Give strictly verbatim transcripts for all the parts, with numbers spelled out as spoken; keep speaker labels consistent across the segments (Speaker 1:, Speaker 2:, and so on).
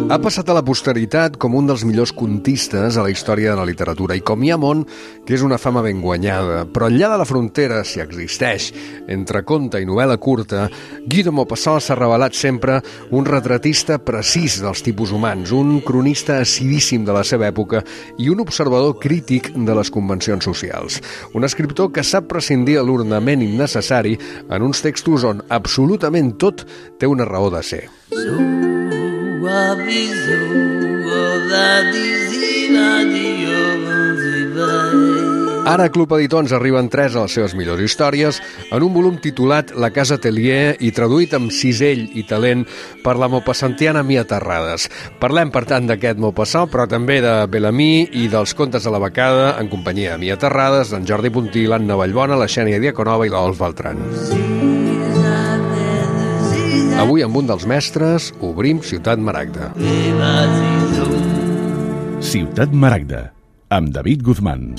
Speaker 1: Ha passat a la posteritat com un dels millors contistes a la història de la literatura i com hi ha món que és una fama ben guanyada. Però enllà de la frontera, si existeix, entre conte i novel·la curta, Guy de Maupassant s'ha revelat sempre un retratista precís dels tipus humans, un cronista acidíssim de la seva època i un observador crític de les convencions socials. Un escriptor que sap prescindir de l'ornament innecessari en uns textos on absolutament tot té una raó de ser. Ara a Club Editor ens arriben tres de les seves millors històries en un volum titulat La Casa Atelier i traduït amb cisell i talent per la maupassantiana Mia Terrades. Parlem, per tant, d'aquest Maupassant, però també de Bel-Ami i dels contes de la becada en companyia de Mia Terrades, d'en Jordi Puntí, l'Anna Vallbona, la Xènia Diaconova i l'Olf Beltran. Avui, amb un dels mestres, obrim Ciutat Maragda.
Speaker 2: Ciutat Maragda, amb David Guzmán.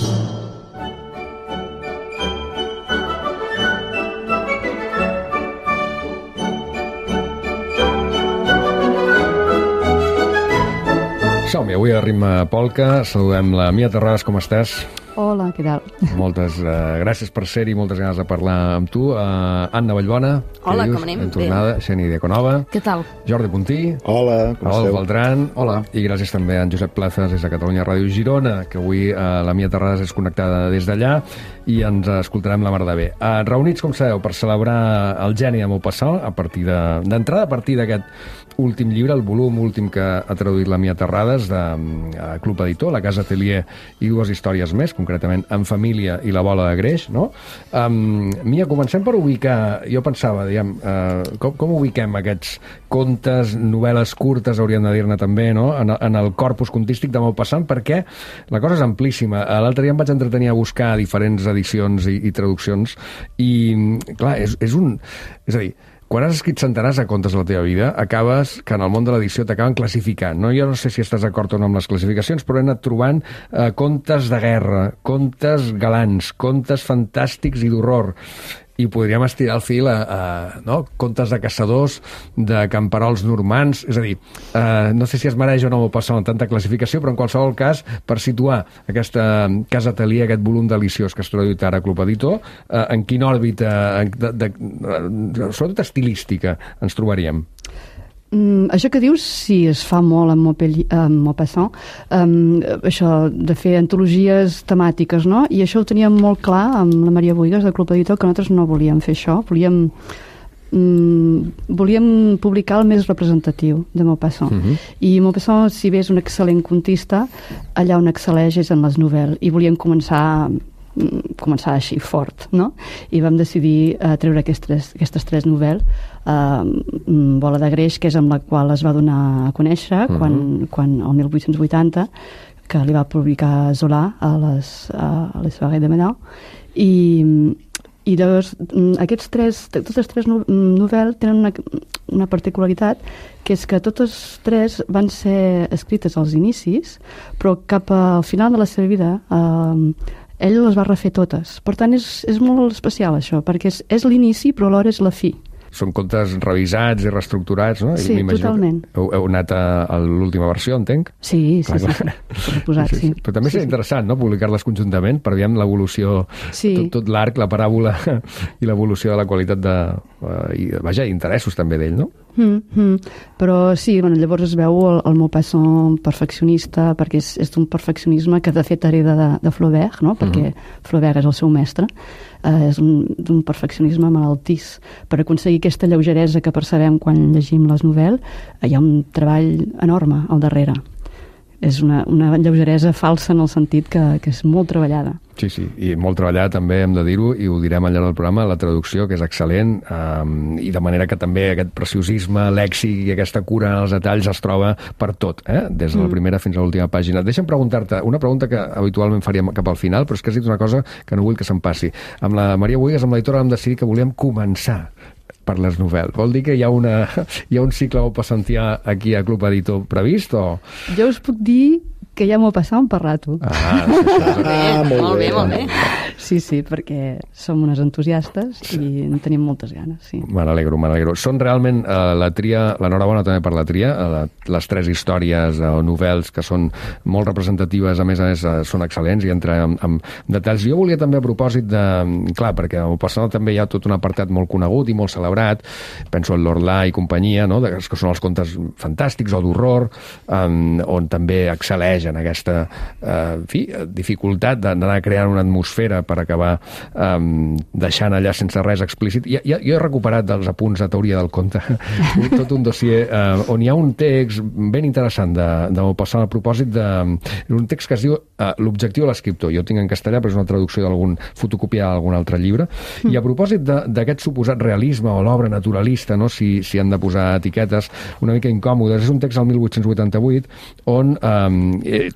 Speaker 1: Som-hi, avui a ritme polca. Saludem la Mia Terrades, com estàs?
Speaker 3: Hola, què tal?
Speaker 1: Moltes uh, gràcies per ser-hi, moltes ganes de parlar amb tu. Uh, Anna Vallbona.
Speaker 4: Hola, com anem?
Speaker 1: Ben tornada. Xènia Diaconova.
Speaker 4: Què tal?
Speaker 1: Jordi Puntí.
Speaker 5: Hola, com esteu?
Speaker 1: Olf Beltran.
Speaker 5: Hola.
Speaker 1: I gràcies també a en Josep Plazas des de Catalunya Ràdio Girona, que avui uh, la Mia Terrades és connectada des d'allà i ens escoltarem la mar de bé. Uh, reunits, com sabeu, per celebrar el geni de Maupassant, a partir de, d'entrada a partir d'aquest últim llibre, el volum últim que ha traduït la Mia Terrades de uh, Club Editor, La Casa Atelier i dues històries més, concretament En família i La bola de greix, no? Um, Mia, comencem per ubicar, jo pensava, diguem, uh, com, com ubiquem aquests contes, novel·les curtes, hauríem de dir-ne també, no?, en, en el corpus contístic de Maupassant, perquè la cosa és amplíssima. L'altre dia em vaig entretenir a buscar diferents edicions i, i traduccions i, clar, és, és un... És a dir, quan has escrit centenars de contes a la teva vida, acabes que en el món de l'edició t'acaben classificant. No? Jo no sé si estàs d'acord o no amb les classificacions, però he anat trobant eh, contes de guerra, contes galants, contes fantàstics i d'horror. I podríem estirar el fil a, a no? contes de caçadors, de camperols normans. És a dir, eh, no sé si es mereix o no Maupassant tanta classificació, però en qualsevol cas, per situar aquesta Casa Atelier, aquest volum deliciós que has traduït ara a Club Editor, eh, en quina òrbita, de, de, de, sobretot estilística, ens trobaríem?
Speaker 3: Mm, això que dius, sí, es fa molt amb Maupassant, um, això de fer antologies temàtiques, no? I això ho teníem molt clar amb la Maria Bohigas del Club Editor, que nosaltres no volíem fer això, volíem, mm, volíem publicar el més representatiu de Maupassant. Uh-huh. I Maupassant, si bé és un excel·lent contista, allà on excel·leix és en les novel·les, i volíem començar començar així fort, no? I vam decidir uh, treure aquestes, aquestes tres novel·les, uh, Bola de greix, que és amb la qual es va donar a conèixer uh-huh. quan, quan el mil vuit-cents vuitanta, que li va publicar Zola a les, a les Soirées de Menau, i, i llavors aquests tres, totes tres novel·les tenen una, una particularitat, que és que totes tres van ser escrites als inicis, però cap al final de la seva vida uh, ell les va refer totes. Per tant, és, és molt especial això, perquè és, és l'inici, però alhora és la fi.
Speaker 1: Són contes revisats i reestructurats, no?
Speaker 3: Sí, totalment.
Speaker 1: Heu, heu anat a, a l'última versió, entenc?
Speaker 3: Sí, sí, clar, sí. Clar. sí. Posat, sí, sí.
Speaker 1: Però també
Speaker 3: sí,
Speaker 1: és interessant, sí. no?, publicar-les conjuntament per veure l'evolució, sí. tot, tot l'arc, la paràbola i l'evolució de la qualitat de... Uh, i, vaja, interessos també d'ell, no?
Speaker 3: Mm, mm. Però sí, bueno, llavors es veu el, el Maupassant perfeccionista, perquè és, és d'un perfeccionisme que de fet hereda de, de Flaubert, no? Perquè uh-huh. Flaubert és el seu mestre, eh, és un, d'un perfeccionisme malaltís. Per aconseguir aquesta lleugeresa que percebem quan llegim les novel·les, hi ha un treball enorme al darrere. És una, una lleugeresa falsa en el sentit que, que és molt treballada.
Speaker 1: Sí, sí, i molt treballada també, hem de dir-ho, i ho direm al llarg del programa, la traducció, que és excel·lent, um, i de manera que també aquest preciosisme, lèxic i aquesta cura en els detalls es troba per tot, eh? Des de la primera fins a l'última pàgina. Deixa'm preguntar-te una pregunta que habitualment faríem cap al final, però és que has dit una cosa que no vull que se'm passi. Amb la Maria Bohigas, amb l'editora, vam decidir que volíem començar per les novel·les. Vol dir que hi ha, una, hi ha un cicle maupassantià aquí a Club Editor previst, o...?
Speaker 3: Jo us puc dir que ja m'ho passava per rato.
Speaker 1: Ah, sí, sí, sí.
Speaker 4: Ah, molt,
Speaker 5: molt bé,
Speaker 4: bé.
Speaker 5: molt bé.
Speaker 3: Sí, sí, perquè som unes entusiastes i en tenim moltes ganes, sí.
Speaker 1: Me n'alegro, me n'alegro. Són realment eh, la tria, l'enhorabona també per la tria, eh, la, les tres històries eh, o novels que són molt representatives, a més a més eh, són excel·lents i entra en, en detalls. Jo volia també a propòsit de... Clar, perquè al passat també hi ha tot un apartat molt conegut i molt celebrat, penso en l'Orlà i companyia, no? De, que són els contes fantàstics o d'horror, eh, on també excel·leix en aquesta eh, en fi, dificultat d'anar creant una atmosfera per acabar um, deixant allà sense res explícit. Ja, ja, jo he recuperat dels apunts de teoria del conte tot un dossier uh, on hi ha un text ben interessant de, de Maupassant a propòsit de... un text que es diu uh, L'objectiu de l'escriptor. Jo tinc en castellà, però és una traducció d'algun fotocopiar d'algun altre llibre. Mm. I a propòsit d'aquest suposat realisme o l'obra naturalista, no? si, si han de posar etiquetes una mica incòmodes, és un text del mil vuit-cents vuitanta-vuit on um,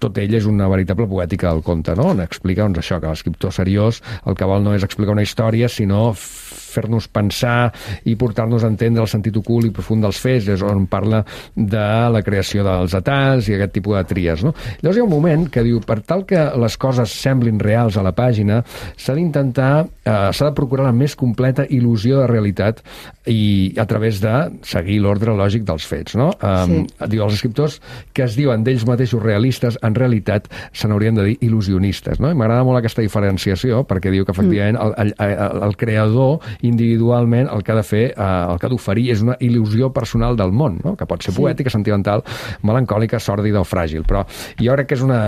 Speaker 1: tot ell és una veritable poètica del conte, no? On explica doncs, això, que l'escriptor seriós el que vol no és explicar una història, sinó fer-nos pensar i portar-nos a entendre el sentit ocult i profund dels fets, és on parla de la creació dels detalls i aquest tipus de tries, no? Llavors hi ha un moment que diu, per tal que les coses semblin reals a la pàgina, s'ha d'intentar, eh, s'ha de procurar la més completa il·lusió de realitat i a través de seguir l'ordre lògic dels fets, no? Um, sí. Diu, els escriptors que es diuen d'ells mateixos realistes, en realitat se n'haurien de dir il·lusionistes, no? I m'agrada molt aquesta diferenciació, perquè diu que efectivament el, el, el, el creador individualment el que ha de fer, eh, el que ha d'oferir és una il·lusió personal del món, no? Que pot ser poètica, sí. Sentimental, melancòlica, sòrdida o fràgil, però jo crec que és una...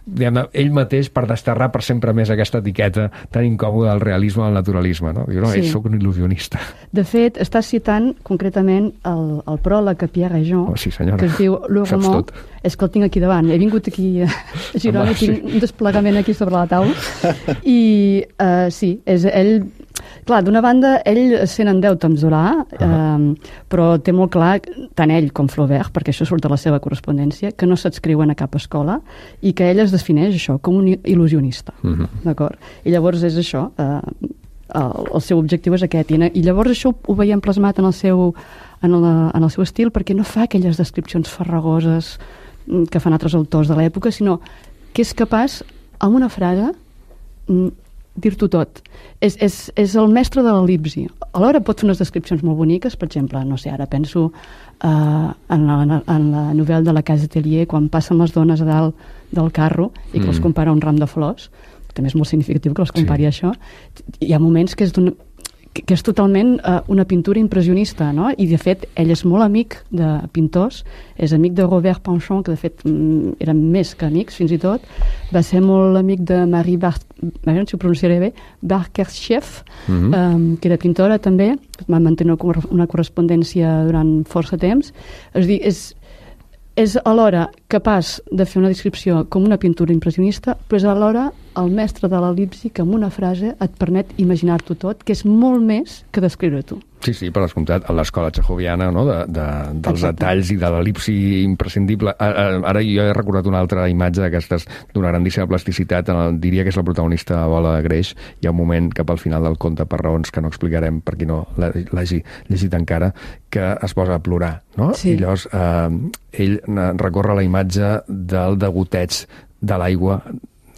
Speaker 1: Diguem, ell mateix per desterrar per sempre més aquesta etiqueta tan incòmoda del realisme al naturalisme, no? Diu, no, sí. Soc un il·lusionista.
Speaker 3: De fet, estàs citant concretament el, el pròleg a Pierre Réjean,
Speaker 1: oh, sí, senyora.
Speaker 3: Que es diu Le Roman. És que el tinc aquí davant. He vingut aquí a Girona i tinc un desplegament aquí sobre la taula. I uh, sí, és ell... Clar, d'una banda, ell se n'endeuta amb Zola, uh -huh. eh, però té molt clar, tant ell com Flaubert, perquè això surt de la seva correspondència, que no s'adscriuen a cap escola i que ell es defineix això com un il·lusionista. Uh -huh. D'acord? I llavors és això, eh, el, el seu objectiu és aquest. I, i llavors això ho veiem plasmat en el seu, en el, en el seu estil, perquè no fa aquelles descripcions farragoses que fan altres autors de l'època, sinó que és capaç, amb una frase, dir-t'ho tot. És, és, és el mestre de l'el·lipsi. Alhora pot fer unes descripcions molt boniques, per exemple, no sé, ara penso uh, en, la, en la novel·la de la Casa Atelier, quan passen les dones a dalt del carro i que mm. els compara un ram de flors, també és molt significatiu que els compari sí. a això. Hi ha moments que és d'un... que és totalment uh, una pintura impressionista, no? I de fet ell és molt amic de pintors, és amic de Robert Panchon, que de fet mm, eren més que amics fins i tot, va ser molt amic de Marie Bar... no si ho pronunciaré bé, Barkershef, mm-hmm. um, que era pintora també, va mantenir una correspondència durant força temps. És a dir, és, és alhora capaç de fer una descripció com una pintura impressionista, però és alhora el mestre de l'el·lipsi que amb una frase et permet imaginar-t'ho tot, que és molt més que descriure tu.
Speaker 1: Sí, sí, per descomptat, a l'escola txejoviana, no? de, de, dels Exacte. Detalls i de l'el·lipsi imprescindible. Ara jo he recordat una altra imatge d'aquestes d'una grandíssima plasticitat, el, diria que és la protagonista de Bola de Greix. Hi ha un moment cap al final del conte, per raons que no explicarem per qui no l'hagi llegit encara, que es posa a plorar, no?
Speaker 3: Sí.
Speaker 1: I llavors eh, ell recorre la imatge del degoteig de l'aigua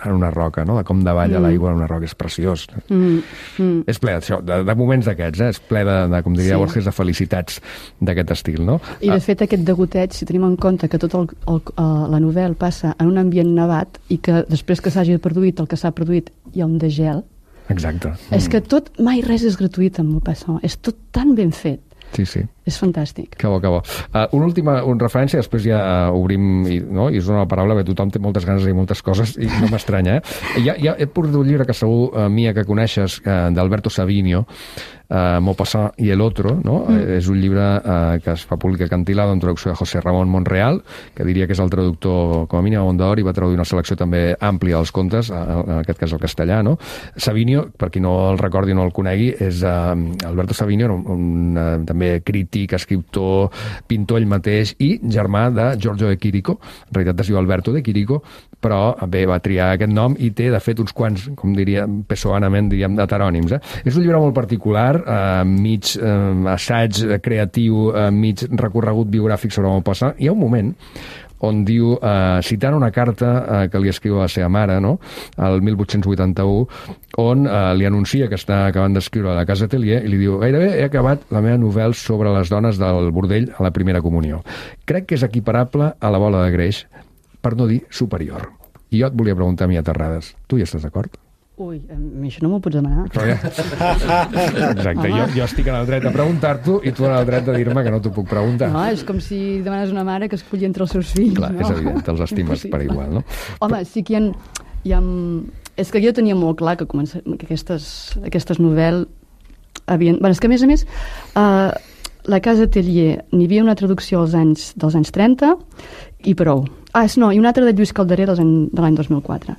Speaker 1: en una roca, no? De com davalla mm. l'aigua en una roca. És preciós. Mm. Mm. És ple d'això, de, de moments d'aquests, eh? És ple de, de com diria sí. Borges, de felicitats d'aquest estil, no?
Speaker 3: I de ah. fet aquest degoteig, si tenim en compte que tot el, el, el, la novel·la passa en un ambient nevat i que després que s'hagi produït el que s'ha produït hi ha un degel.
Speaker 1: Exacte.
Speaker 3: És mm. que tot, mai res és gratuït amb Maupassant. És tot tan ben fet.
Speaker 1: Sí, sí.
Speaker 3: És fantàstic.
Speaker 1: Que bo, que bo. Uh, una última una referència, després ja uh, obrim i, no? I us dono la paraula, perquè tothom té moltes ganes de dir moltes coses i no m'estranya, eh? Ja, ja he portat un llibre que segur, uh, Mia, que coneixes, uh, d'Alberto Savinio, uh, Maupassant y el otro, no? Mm. Uh, és un llibre uh, que es fa públic a Cantilado en traducció de José Ramón Monreal, que diria que és el traductor, com a mínim, a Mondadori, i va traduir una selecció també àmplia dels contes, uh, en aquest cas el castellà, no? Savinio, per qui no el recordi o no el conegui, és uh, Alberto Savinio, un, un uh, també crític, escriptor, pintor ell mateix i germà de Giorgio de Chirico. En realitat es diu Alberto de Chirico, però bé, va triar aquest nom i té, de fet, uns quants, com diria, pessoanament, diríem, heterònims. Eh? És un llibre molt particular, eh, mig eh, assaig creatiu, eh, mig recorregut biogràfic sobre Maupassant. Hi ha un moment on diu, eh, citant una carta eh, que li escriu a la seva mare, no?, el mil vuit-cents vuitanta-u, on eh, li anuncia que està acabant d'escriure a la Casa Atelier i li diu: gairebé he acabat la meva novel·la sobre les dones del bordell a la primera comunió. Crec que és equiparable a La bola de greix, per no dir superior. I jo et volia preguntar a mi a Terrades, tu hi estàs d'acord?
Speaker 3: Ui, a mi això no m'ho pots demanar.
Speaker 1: Però ja... Exacte, jo, jo estic en el dret de preguntar-t'ho i tu en el dret de dir-me que no t'ho puc preguntar.
Speaker 3: No, és com si demanes una mare que escolli entre els seus fills.
Speaker 1: Clar,
Speaker 3: no?
Speaker 1: és evident, els estimes per igual, no?
Speaker 3: Home, sí que hi ha... Hi ha... És que jo tenia molt clar que, comença... que aquestes, aquestes novel·les havien... Bé, és que a més a més, uh, la Casa Atelier n'hi havia una traducció als anys, dels anys trenta i prou. Ah, no, i una altra de Lluís Calderer dels any, de l'any dos mil quatre.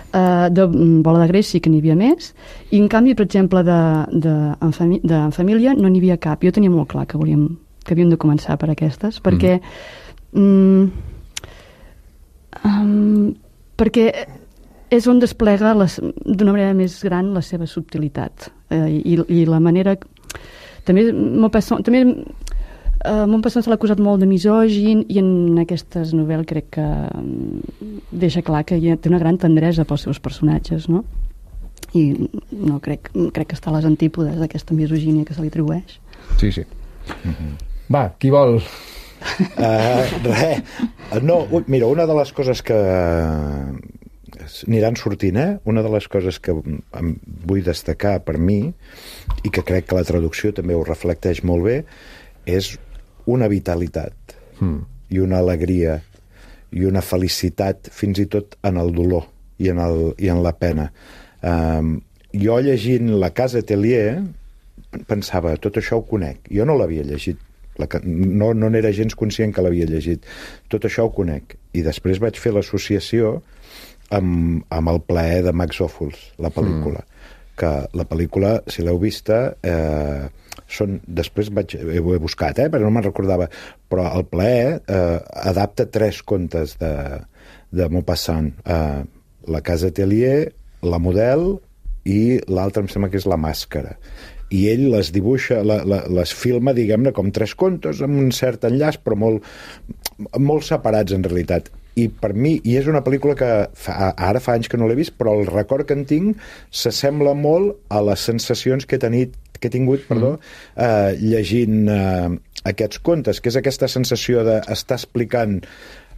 Speaker 3: Uh, de Bola de greix sí que n'hi havia més, i en canvi, per exemple, de, de, en, fami de en família no n'hi havia cap. Jo tenia molt clar que volíem que havíem de començar per aquestes, perquè mm. um, perquè és on desplega d'una manera més gran la seva subtilitat, uh, i, i la manera... També Maupassant, també Uh, Maupassant se l'ha acusat molt de misògin, i en aquestes novel·les crec que um, deixa clar que hi ha, té una gran tendresa pels seus personatges, no? I no crec, crec que està a les antípodes d'aquesta misogínia que se li atribueix.
Speaker 1: Sí, sí. Mm-hmm. Va, qui vol?
Speaker 4: Uh, res. No, mira, una de les coses que aniran sortint, eh? Una de les coses que vull destacar per mi, i que crec que la traducció també ho reflecteix molt bé, és una vitalitat mm. i una alegria i una felicitat fins i tot en el dolor i en, el, i en la pena. Um, jo llegint La Casa Atelier pensava, tot això ho conec. Jo no l'havia llegit. La, no no n'era gens conscient que l'havia llegit. Tot això ho conec. I després vaig fer l'associació amb, amb El plaer de Max Ophuls, la pel·lícula. Mm. Que la pel·lícula, si l'heu vista... Eh, són, després vaig, ho he buscat, eh, perquè no me'n recordava, però El plaer eh, adapta tres contes de, de Maupassant. Eh, La Casa Atelier, La model i l'altre em sembla que és La màscara. I ell les dibuixa, la, la, les filma, diguem-ne, com tres contes, amb un cert enllaç, però molt, molt separats en realitat. I per mi, i és una pel·lícula que fa, ara fa anys que no l'he vist, però el record que en tinc s'assembla molt a les sensacions que he tenit que he tingut, perdó, mm. eh, llegint eh, aquests contes, que és aquesta sensació d'estar explicant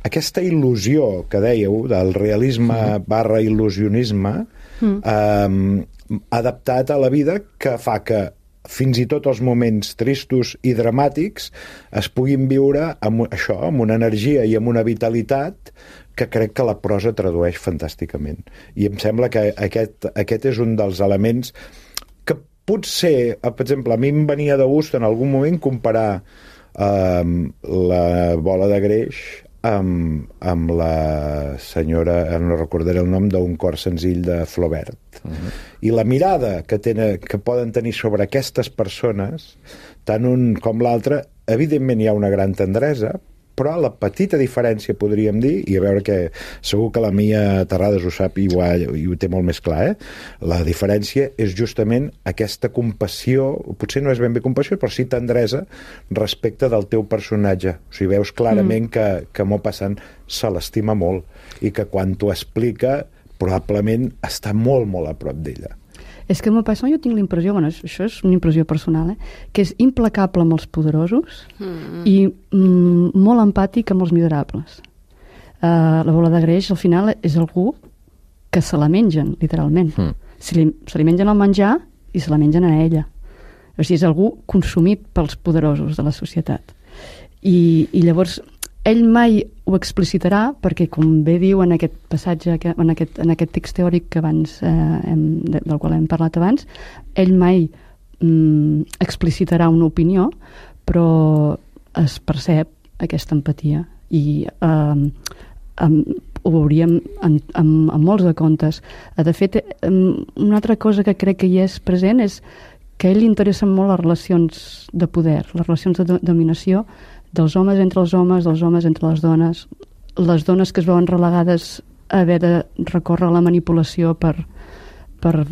Speaker 4: aquesta il·lusió que dèieu, del realisme mm. barra il·lusionisme, mm. eh, adaptat a la vida, que fa que fins i tot els moments tristos i dramàtics es puguin viure amb això, amb una energia i amb una vitalitat que crec que la prosa tradueix fantàsticament. I em sembla que aquest, aquest és un dels elements que potser, per exemple, a mi em venia de gust en algun moment comparar eh, La bola de greix amb, amb la senyora, no recordaré el nom, d'un cor senzill de Flaubert. Uh-huh. I la mirada que, tenen, que poden tenir sobre aquestes persones, tant un com l'altre, evidentment hi ha una gran tendresa, però la petita diferència, podríem dir, i a veure que segur que la Mia Terrades ho sap i ho, ha, i ho té molt més clar, eh? La diferència és justament aquesta compassió, potser no és ben bé compassió, però sí tendresa respecte del teu personatge. O sigui, veus clarament mm. que, que Maupassant se l'estima molt i que quan t'ho explica probablement està molt, molt a prop d'ella.
Speaker 3: És que Maupassant jo tinc la impressió, bueno, això és una impressió personal, eh, que és implacable amb els poderosos mm. i mm, molt empàtic amb els miserables. Uh, la bola de greix, al final, és algú que se la mengen, literalment. Mm. Se li, se li mengen el menjar i se la mengen a ella. O sigui, és algú consumit pels poderosos de la societat. I, i llavors, ell mai ho explicitarà, perquè, com bé diu en aquest passatge, en aquest, en aquest text teòric que abans, eh, hem, del qual hem parlat abans, ell mai mm, explicitarà una opinió, però es percep aquesta empatia. I eh, em, ho veuríem en, en, en molts de contes. De fet, una altra cosa que crec que hi és present és que a ell li interessen molt les relacions de poder, les relacions de dominació, dels homes entre els homes, dels homes entre les dones, les dones que es veuen relegades a haver de recórrer a la manipulació per, per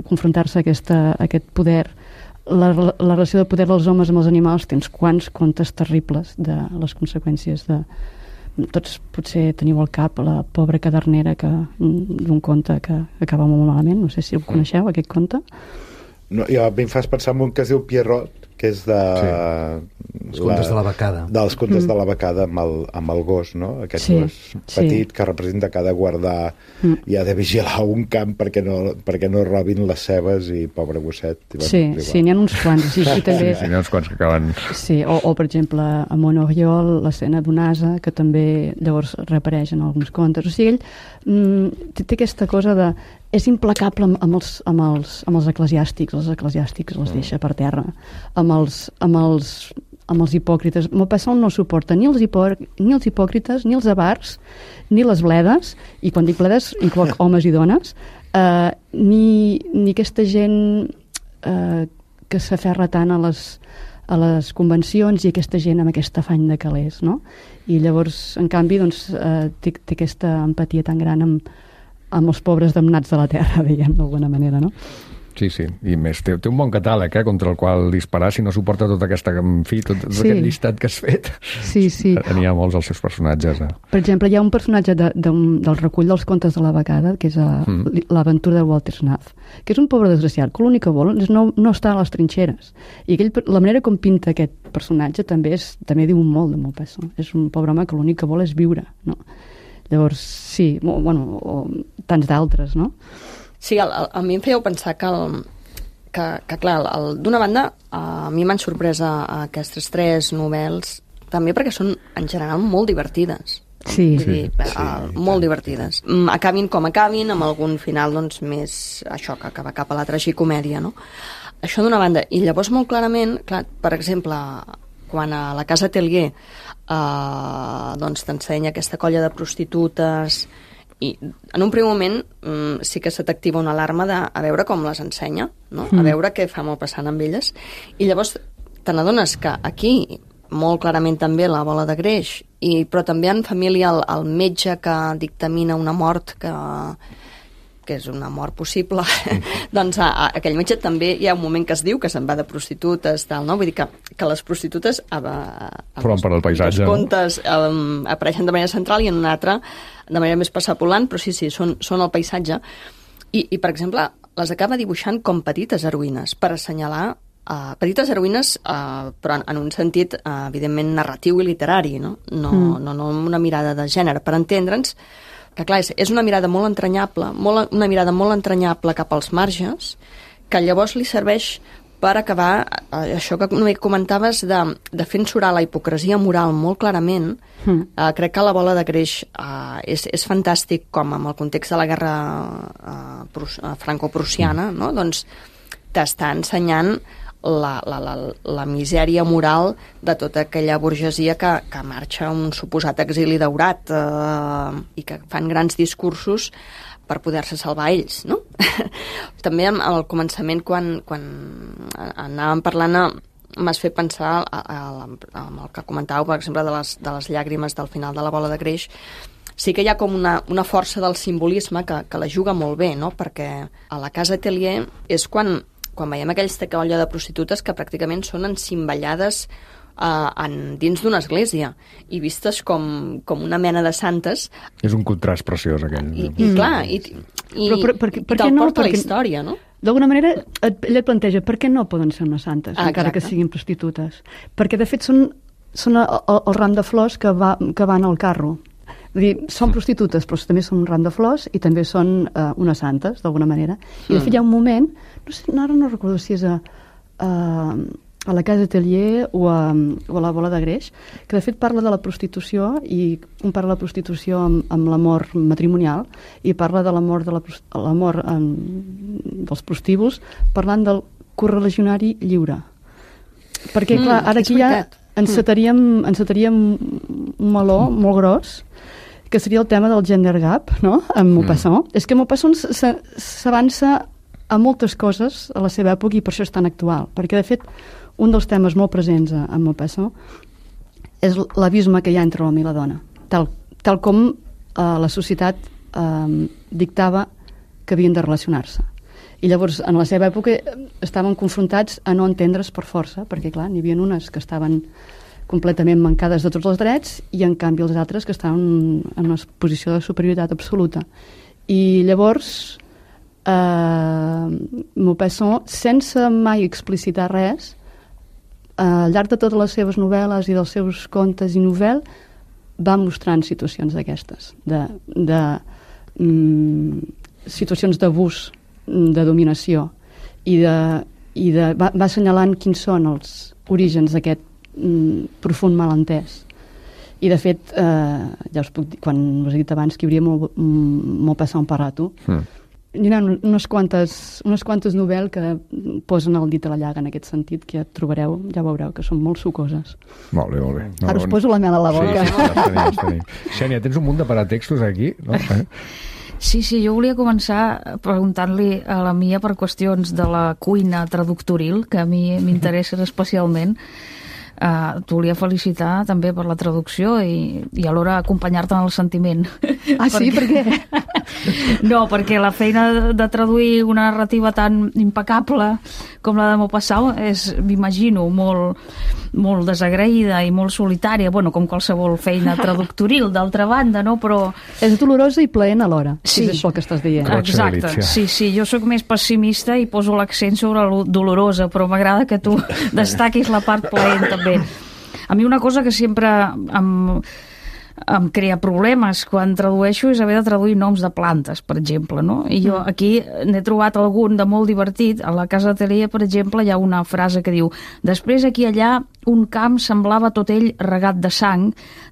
Speaker 3: confrontar-se a, aquesta, a aquest poder. La, la relació de poder dels homes amb els animals, tens quants contes terribles de les conseqüències de, tots potser teniu al cap la pobra cadernera que, d'un conte que acaba molt malament, no sé si el coneixeu, aquest conte.
Speaker 4: No, jo, a mi em fas pensar en un que es diu Pierrot, que és de...
Speaker 5: Sí. Els contes la, de la becada.
Speaker 4: Dels contes mm. de la becada amb el, amb el gos, no? Aquest sí, gos petit sí. que representa que ha de guardar mm. i ha de vigilar un camp perquè no, perquè no robin les cebes i pobre gosset. I
Speaker 3: sí, sí, n'hi ha uns quants. Sí, sí, també...
Speaker 1: sí, sí, n'hi ha uns quants que acaben...
Speaker 3: Sí, o, o per exemple, a Monoriol, l'escena d'un ase, que també llavors reapareix en alguns contes. O sigui, ell mm, té, té aquesta cosa de... És implacable amb, amb, els, amb, els, amb els eclesiàstics, els eclesiàstics els deixa per terra, amb els, amb els, amb els hipòcrites. Maupassant no suporta ni els, hipò, ni els hipòcrites, ni els avars, ni les bledes, i quan dic bledes incloc homes i dones, eh, ni, ni aquesta gent eh, que s'aferra tant a les, a les convencions i aquesta gent amb aquest afany de calés, no? I llavors, en canvi, doncs, eh, té, té aquesta empatia tan gran amb amb els pobres damnats de la terra, diguem, d'alguna manera, no?
Speaker 1: Sí, sí, i més, té, té un bon catàleg, eh, contra el qual disparar si no suporta tota aquesta, en fi, tot, tot sí. aquest llistat que has fet.
Speaker 3: Sí, sí.
Speaker 1: N'hi ha molts els seus personatges. Eh?
Speaker 3: Per exemple, hi ha un personatge de, de, del recull dels contes de la becada, que és a, mm. l'aventura de Walter Snuff, que és un pobre desgraciat, que l'únic que vol és no, no estar a les trinxeres. I aquell, la manera com pinta aquest personatge també és també diu molt de Maupassant. És un pobre home que l'únic que vol és viure, no? Llavors, sí, bueno, o tants d'altres, no?
Speaker 6: Sí, el, el, a mi em fèieu pensar que, el, que, que clar, el, d'una banda, a mi m'han sorprès a, a aquestes tres novel·les, també perquè són, en general, molt divertides.
Speaker 3: Sí,
Speaker 6: sí, dir, sí, uh, molt divertides. Acabin com acabin, amb algun final, doncs, més, això, que acaba cap a la tragicomèdia, no? Això d'una banda. I llavors, molt clarament, clar, per exemple, quan a la Casa Tellier Uh, doncs t'ensenya aquesta colla de prostitutes i en un primer moment um, sí que se t'activa una alarma de a veure com les ensenya, no? Mm. A veure què fa Maupassant amb elles, i llavors te n'adones que aquí molt clarament també la bola de greix, i, però també en família el, el metge que dictamina una mort que que és una mort possible, mm. doncs a, a aquell metge també hi ha un moment que es diu que se'n va de prostitutes, tal, no? Vull dir que, que les prostitutes a, a, a
Speaker 1: formen part del paisatge,
Speaker 6: els contes no? um, apareixen de manera central i en una altra de manera més passapolant, però sí, sí, són, són el paisatge. I, I, per exemple, les acaba dibuixant com petites heroïnes, per assenyalar uh, petites heroïnes, uh, però en, en un sentit, uh, evidentment, narratiu i literari, no? No, mm. no, no amb una mirada de gènere, per entendre'ns que clar, és, és una mirada molt entranyable, molt, una mirada molt entranyable cap als marges, que llavors li serveix per acabar, eh, això que no comentaves, de, de fer ensurar la hipocresia moral molt clarament. Mm. Eh, crec que la bola de greix eh, és, és fantàstic, com amb el context de la guerra eh, franco-prussiana, no? Doncs t'està ensenyant La, la, la, la misèria moral de tota aquella burgesia que, que marxa a un suposat exili daurat eh, i que fan grans discursos per poder-se salvar ells, no? També al començament, quan, quan anàvem parlant, m'has fet pensar a, a, a, amb el que comentàveu, per exemple, de les, de les llàgrimes del final de la bola de greix. Sí que hi ha com una, una força del simbolisme que, que la juga molt bé, no? Perquè a la Casa Tellier és quan quan veiem aquesta colla de prostitutes que pràcticament són encimballades uh, en, dins d'una església i vistes com, com una mena de santes.
Speaker 1: És un contrast preciós, aquell.
Speaker 6: I, i clar, i, i,
Speaker 3: però, però, per, per,
Speaker 6: i
Speaker 3: per
Speaker 6: te'l
Speaker 3: no?
Speaker 6: porta
Speaker 3: Perquè,
Speaker 6: la història, no?
Speaker 3: D'alguna manera, et, ella et planteja per què no poden ser unes santes,
Speaker 6: ah,
Speaker 3: encara que siguin prostitutes. Perquè, de fet, són, són el, el ram de flors que, va, que van al carro. Vull dir, són prostitutes, però també són un ram de flors i també són uh, unes santes, d'alguna manera. I, de fet, hi ha un moment, no sé, ara no recordo si és a, a, a la Casa Tellier o a, o a la Bola de Greix, que de fet parla de la prostitució i compara la prostitució amb, amb l'amor matrimonial i parla de l'amor de la, l'amor um, dels prostíbuls, parlant del correligionari lliure. Perquè, clar, ara aquí ja encetaríem, encetaríem un meló molt gros, que seria el tema del gender gap, no?, amb Maupassant. Mm. És que Maupassant s'avança a moltes coses a la seva època i per això és tan actual. Perquè, de fet, un dels temes molt presents a, a Maupassant és l'abisme que hi ha entre l'home i la dona. Tal, tal com eh, la societat eh, dictava que havien de relacionar-se. I llavors, en la seva època, estaven confrontats a no entendre's per força, perquè, clar, n'hi havia unes que estaven completament mancades de tots els drets, i en canvi els altres que estan en una posició de superioritat absoluta. I llavors eh, Maupassant, sense mai explicitar res, al llarg de totes les seves novel·les i dels seus contes i novel·, va mostrant situacions d'aquestes, de, de mm, situacions d'abús, de dominació, i, de, i de, va, va assenyalant quins són els orígens d'aquest mm, profund malentès. I de fet, eh, ja us puc dir, quan us he dit abans que hi hauria molt, molt passant per rato, mm. hi ha unes quantes, unes quantes novel·les que posen el dit a la llaga en aquest sentit, que ja trobareu, ja veureu, que són molt sucoses.
Speaker 1: Molt bé, molt bé. No,
Speaker 3: Ara us poso la mel a la boca.
Speaker 1: Sí, sí, ja tenim, ja tenim. Xènia, tens un munt de paratextos aquí, no?
Speaker 7: Sí, sí, jo volia començar preguntant-li a la Mia per qüestions de la cuina traductoril, que a mi m'interessen especialment. Uh, t'ho volia felicitar també per la traducció i, i alhora acompanyar-te en el sentiment.
Speaker 3: Ah, sí? Per què?
Speaker 7: No, perquè la feina de traduir una narrativa tan impecable com la de Maupassant és, m'imagino, molt, molt desagraïda i molt solitària, bueno, com qualsevol feina traductoril, d'altra banda, no? Però...
Speaker 3: És dolorosa i plaent alhora,
Speaker 7: sí.
Speaker 3: És això que estàs dient.
Speaker 7: Exacte, sí, sí, jo sóc més pessimista i poso l'accent sobre la dolorosa, però m'agrada que tu destaquis la part plaent també. A mi una cosa que sempre em, em crea problemes quan tradueixo és haver de traduir noms de plantes, per exemple, no? I jo aquí n'he trobat algun de molt divertit. A la Casa Atelier, per exemple, hi ha una frase que diu: després aquí i allà un camp semblava tot ell regat de sang,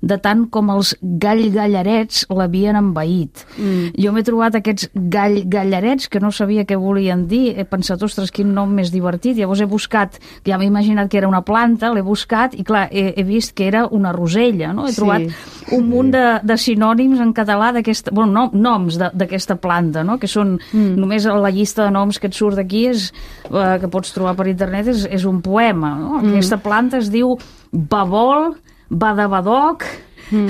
Speaker 7: de tant com els gall-gallarets l'havien envaït. Mm. Jo m'he trobat aquests gall-gallarets que no sabia què volien dir. He pensat, ostres, quin nom més divertit. Llavors he buscat, ja m'he imaginat que era una planta, l'he buscat i clar, he, he vist que era una rosella, no? He
Speaker 3: sí.
Speaker 7: trobat un munt de, de sinònims en català d'aquesta, bueno, no, noms d'aquesta planta, no? Que són, mm. només la llista de noms que et surt d'aquí és, eh, que pots trobar per internet, és, és un poema, no? Mm. Aquesta planta es diu babol, badabadoc, mm.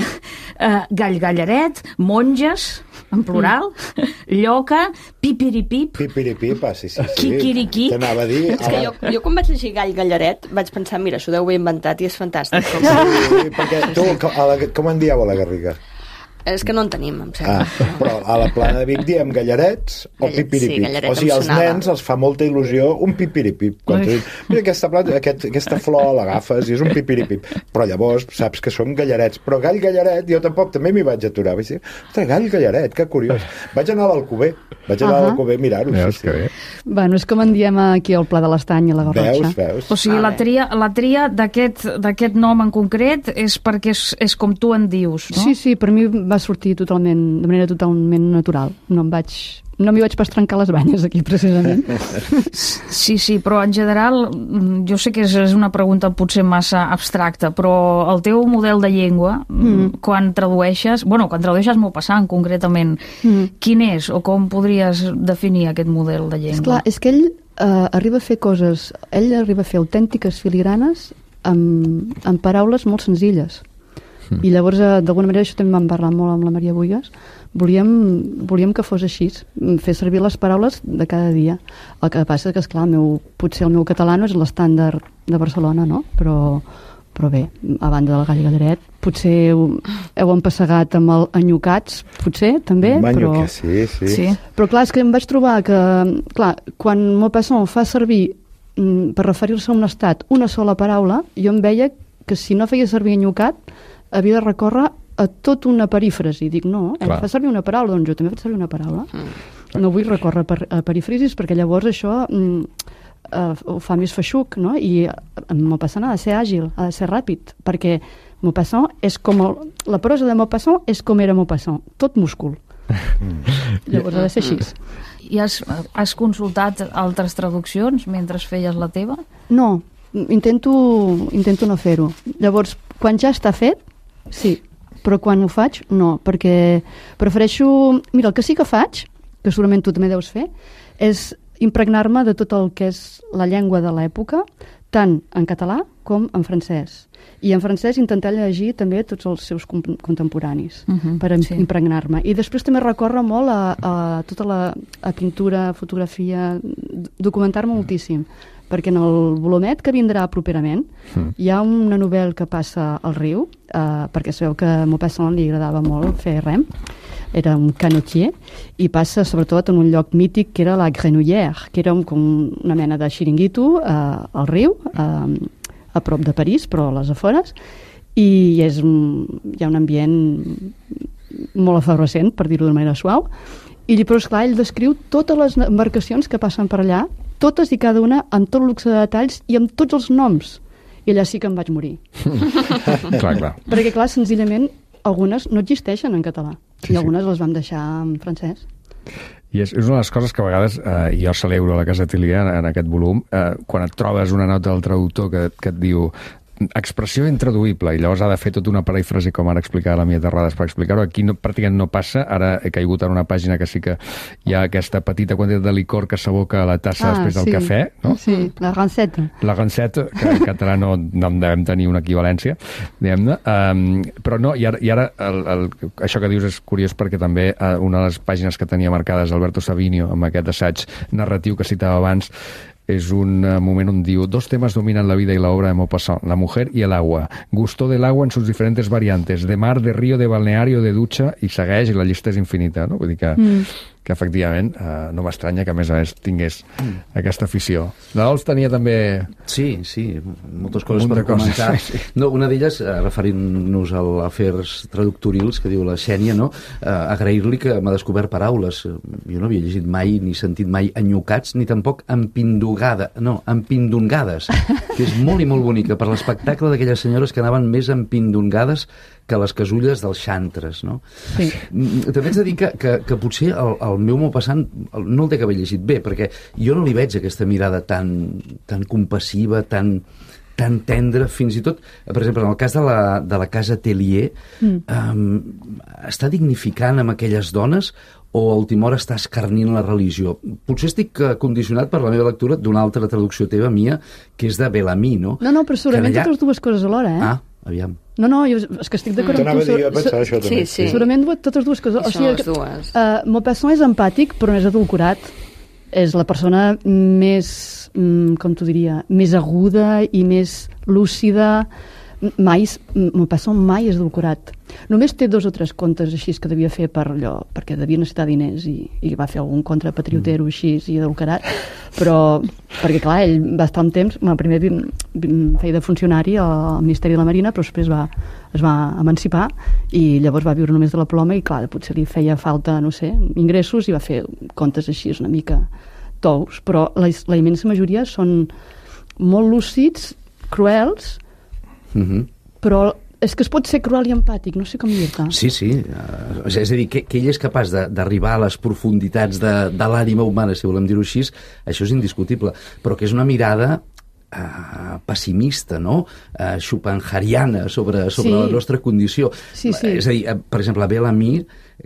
Speaker 7: uh, gall-gallaret, monges, en plural, mm. lloca, pipiripip,
Speaker 4: pipiripip, ah, sí, sí, sí.
Speaker 7: Quiquiriquí.
Speaker 4: T'anava a dir...
Speaker 6: És que jo, jo quan vaig llegir gall-gallaret vaig pensar, mira, s'ho deu haver inventat i és fantàstic. Com...
Speaker 4: Sí, perquè tu, a la, com en dieu a la Garriga?
Speaker 6: És que no en tenim, em sembla.
Speaker 4: Ah, però a la Plana de Vic diem gallarets o
Speaker 6: Gallet,
Speaker 4: pipiripip.
Speaker 6: sí, gallaret
Speaker 4: o sigui, als
Speaker 6: em sonava.
Speaker 4: nens els fa molta il·lusió un pipiripip. Quan tu dius, mira, aquesta, planta, aquest, aquesta flor l'agafes i és un pipiripip. Però llavors saps que som gallarets. Però gall gallaret, jo tampoc també m'hi vaig aturar. Vaig dir, ostres, gall gallaret, que curiós. Vaig anar a l'Alcover. Vaig anar uh -huh. a l'Alcover a mirar-ho.
Speaker 1: Veus,
Speaker 4: sí,
Speaker 1: que bé.
Speaker 3: Bueno, és com en diem aquí al Pla de l'Estany i a la Garrotxa.
Speaker 4: Veus, veus.
Speaker 7: O sigui,
Speaker 6: Ah,
Speaker 7: la tria, la tria d'aquest nom en concret és perquè és, és com tu en dius, no?
Speaker 3: Sí, sí, per mi va sortir totalment, de manera totalment natural. No em vaig... No m'hi vaig pas trencar les banyes aquí, precisament.
Speaker 7: Sí, sí, però en general, jo sé que és, és una pregunta potser massa abstracta, però el teu model de llengua, mm. quan tradueixes, bueno, quan tradueixes Maupassant concretament, mm. quin és o com podries definir aquest model de llengua?
Speaker 3: Esclar, és que ell eh, arriba a fer coses, ell arriba a fer autèntiques filigranes amb, amb paraules molt senzilles. Mm. I llavors, eh, d'alguna manera, això també vam parlar molt amb la Maria Buigas, volíem, volíem que fos així, fer servir les paraules de cada dia. El que passa és que, esclar, el meu, potser el meu català no és l'estàndard de Barcelona, no? Però, però bé, a banda del gall gallaret, potser heu, heu empassegat amb el enyocats, potser, també, però...
Speaker 4: Sí, sí,
Speaker 7: Sí.
Speaker 3: Però clar, és que em vaig trobar que, clar, quan Maupassant fa servir mm, per referir-se a un estat una sola paraula, jo em veia que si no feia servir enyocat havia de recórrer a tot una perífrasi. Dic, no, ell
Speaker 1: Clar.
Speaker 3: fa servir una paraula, doncs jo també faig servir una paraula. Mm. No vull recórrer per, a perífrasis perquè llavors això mm, uh, ho fa més feixuc, no? I en Maupassant ha de ser àgil, ha de ser ràpid, perquè Maupassant és com... El, la prosa de Maupassant és com era Maupassant, tot múscul. Mm. Llavors ha de ser així.
Speaker 7: I has, has consultat altres traduccions mentre feies la teva?
Speaker 3: No, intento, intento no fer-ho. Llavors, quan ja està fet, sí, però quan ho faig, no, perquè prefereixo... Mira, el que sí que faig, que segurament tu també deus fer, és impregnar-me de tot el que és la llengua de l'època, tant en català com en francès. I en francès intentar llegir també tots els seus contemporanis, uh-huh, per
Speaker 7: sí.
Speaker 3: impregnar-me. I després també recórrer molt a, a tota la a pintura, fotografia, documentar-me moltíssim. perquè en el volumet que vindrà properament mm. hi ha una novel·la que passa al riu, eh, perquè sabeu que a Maupassant li agradava molt fer rem, era un canotier, i passa sobretot en un lloc mític que era la Grenouillère, que era un, com una mena de xiringuito eh, al riu, eh, a prop de París, però a les afores, i és un, hi ha un ambient molt efervescent, per dir-ho d'una manera suau, i llavors, clar, ell descriu totes les embarcacions que passen per allà, totes i cada una, amb tot luxe de detalls i amb tots els noms. I allà sí que em vaig morir.
Speaker 1: clar, clar.
Speaker 3: Perquè, clar, senzillament, algunes no existeixen en català, sí, i algunes sí. les vam deixar en francès.
Speaker 1: I és, és una de les coses que a vegades, eh, jo celebro a la Casa Atelier en, en aquest volum, eh, quan et trobes una nota del traductor que, que et diu expressió intraduïble, i llavors ha de fer tota una perífrasi, com ara explicava la Mia Terrades, per explicar-ho. Aquí no, pràcticament no passa. Ara he caigut en una pàgina que sí que hi ha aquesta petita quantitat de licor que s'aboca a la tassa ah, després del
Speaker 3: sí.
Speaker 1: cafè, no?
Speaker 3: Sí, la ranceta.
Speaker 1: La ranceta, que en català no, no en devem tenir una equivalència, diguem-ne. Um, però no, i ara, i ara el, el, això que dius és curiós perquè també uh, una de les pàgines que tenia marcades Alberto Savinio, amb aquest assaig narratiu que citava abans, es un uh, moment on diu: dos temas dominan la vida y la obra de Maupassant, la mujer y el agua. Gustó del agua en sus diferentes variantes, de mar, de río, de balneario, de ducha, i segueix, i la llista és infinita, no? Vull dir que, mm. que efectivament, uh, no m'estranya que a més a més tingués mm. aquesta afició. La Dols tenia també...
Speaker 5: Sí, sí, moltes coses per comentar. Sí, sí. No, una d'elles, uh, referint-nos a afers traductorils, que diu la Xènia, no? Uh, agrair-li que m'ha descobert paraules. Jo no havia llegit mai ni sentit mai enyocats, ni tampoc empindugada, no, empindungades, que és molt i molt bonica, per l'espectacle d'aquelles senyores que anaven més empindungades que les casulles dels xantres, no? Sí. També haig de dir que, que, que potser el, el meu Maupassant no el té que haver llegit bé, perquè jo no li veig aquesta mirada tan, tan compassiva, tan, tan tendra, fins i tot, per exemple, en el cas de la, de la Casa Atelier, mm. um, està dignificant amb aquelles dones o a última hora està escarnint la religió? Potser estic condicionat per la meva lectura d'una altra traducció teva, Mia, que és de Bellamy, no?
Speaker 3: No, no, però segurament allà... totes dues coses alhora, eh?
Speaker 5: Ah, aviam.
Speaker 3: No, no, jo, és que estic d'acord
Speaker 4: amb tu. T'anava a dir, jo pensava això també.
Speaker 6: Sí, sí.
Speaker 3: Segurament totes dues coses.
Speaker 6: I
Speaker 3: o sigui,
Speaker 6: les dues.
Speaker 3: Uh, Maupassant és empàtic, però no és adulcorat. És la persona més, mm, com t'ho diria, més aguda i més lúcida. Mai, Maupassant mai és adulcorat. Només té dos o tres contes així que devia fer per allò, perquè devia necessitar diners i, i va fer algun contra patriotero així i adulcarat, però perquè clar, ell va estar un temps, bueno, primer feia de funcionari al Ministeri de la Marina, però després va, es va emancipar i llavors va viure només de la ploma i clar, potser li feia falta, no sé, ingressos i va fer contes així una mica tous, però la, la immensa majoria són molt lúcids, cruels,
Speaker 5: mm-hmm.
Speaker 3: però és que es pot ser cruel i empàtic, no sé com dir-te.
Speaker 5: Sí, sí. Uh, és a dir, que, que ell és capaç d'arribar a les profunditats de, de l'ànima humana, si volem dir-ho així, això és indiscutible. Però que és una mirada uh, pessimista, no? Uh, schopenhaueriana sobre, sobre sí. la nostra condició.
Speaker 3: Sí, sí.
Speaker 5: És a dir, uh, per exemple, Bellamy,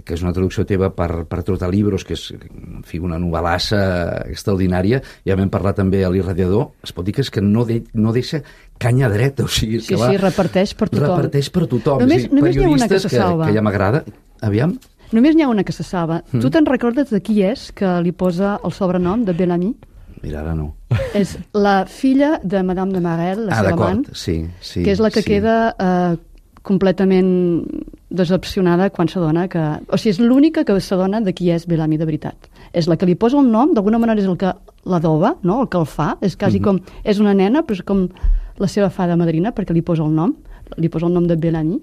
Speaker 5: que és una traducció teva per, per Trotalibros, que és, en fi, una novel·lassa extraordinària, ja vam parlar també a l'Irradiador, es pot dir que és que no, de, no deixa canya dreta, o sigui...
Speaker 3: Sí,
Speaker 5: que va,
Speaker 3: sí, reparteix per tothom.
Speaker 5: Reparteix per tothom.
Speaker 3: Només,
Speaker 5: sí,
Speaker 3: només n'hi ha una que se salva.
Speaker 5: Que, que ja m'agrada. Aviam.
Speaker 3: Només n'hi ha una que se salva. Mm. Tu te'n recordes de qui és que li posa el sobrenom de Bellamy?
Speaker 5: Mira, ara no.
Speaker 3: És la filla de Madame de Marelle, la
Speaker 5: ah,
Speaker 3: seva amant,
Speaker 5: sí, sí,
Speaker 3: que és la que
Speaker 5: sí.
Speaker 3: queda eh, completament decepcionada quan s'adona que... O sigui, és l'única que s'adona de qui és Bellamy de veritat. És la que li posa el nom, d'alguna manera és el que l'adoba, no? El que el fa. És quasi mm-hmm. com... És una nena, però és com la seva fada madrina, perquè li posa el nom. Li posa el nom de Bellamy.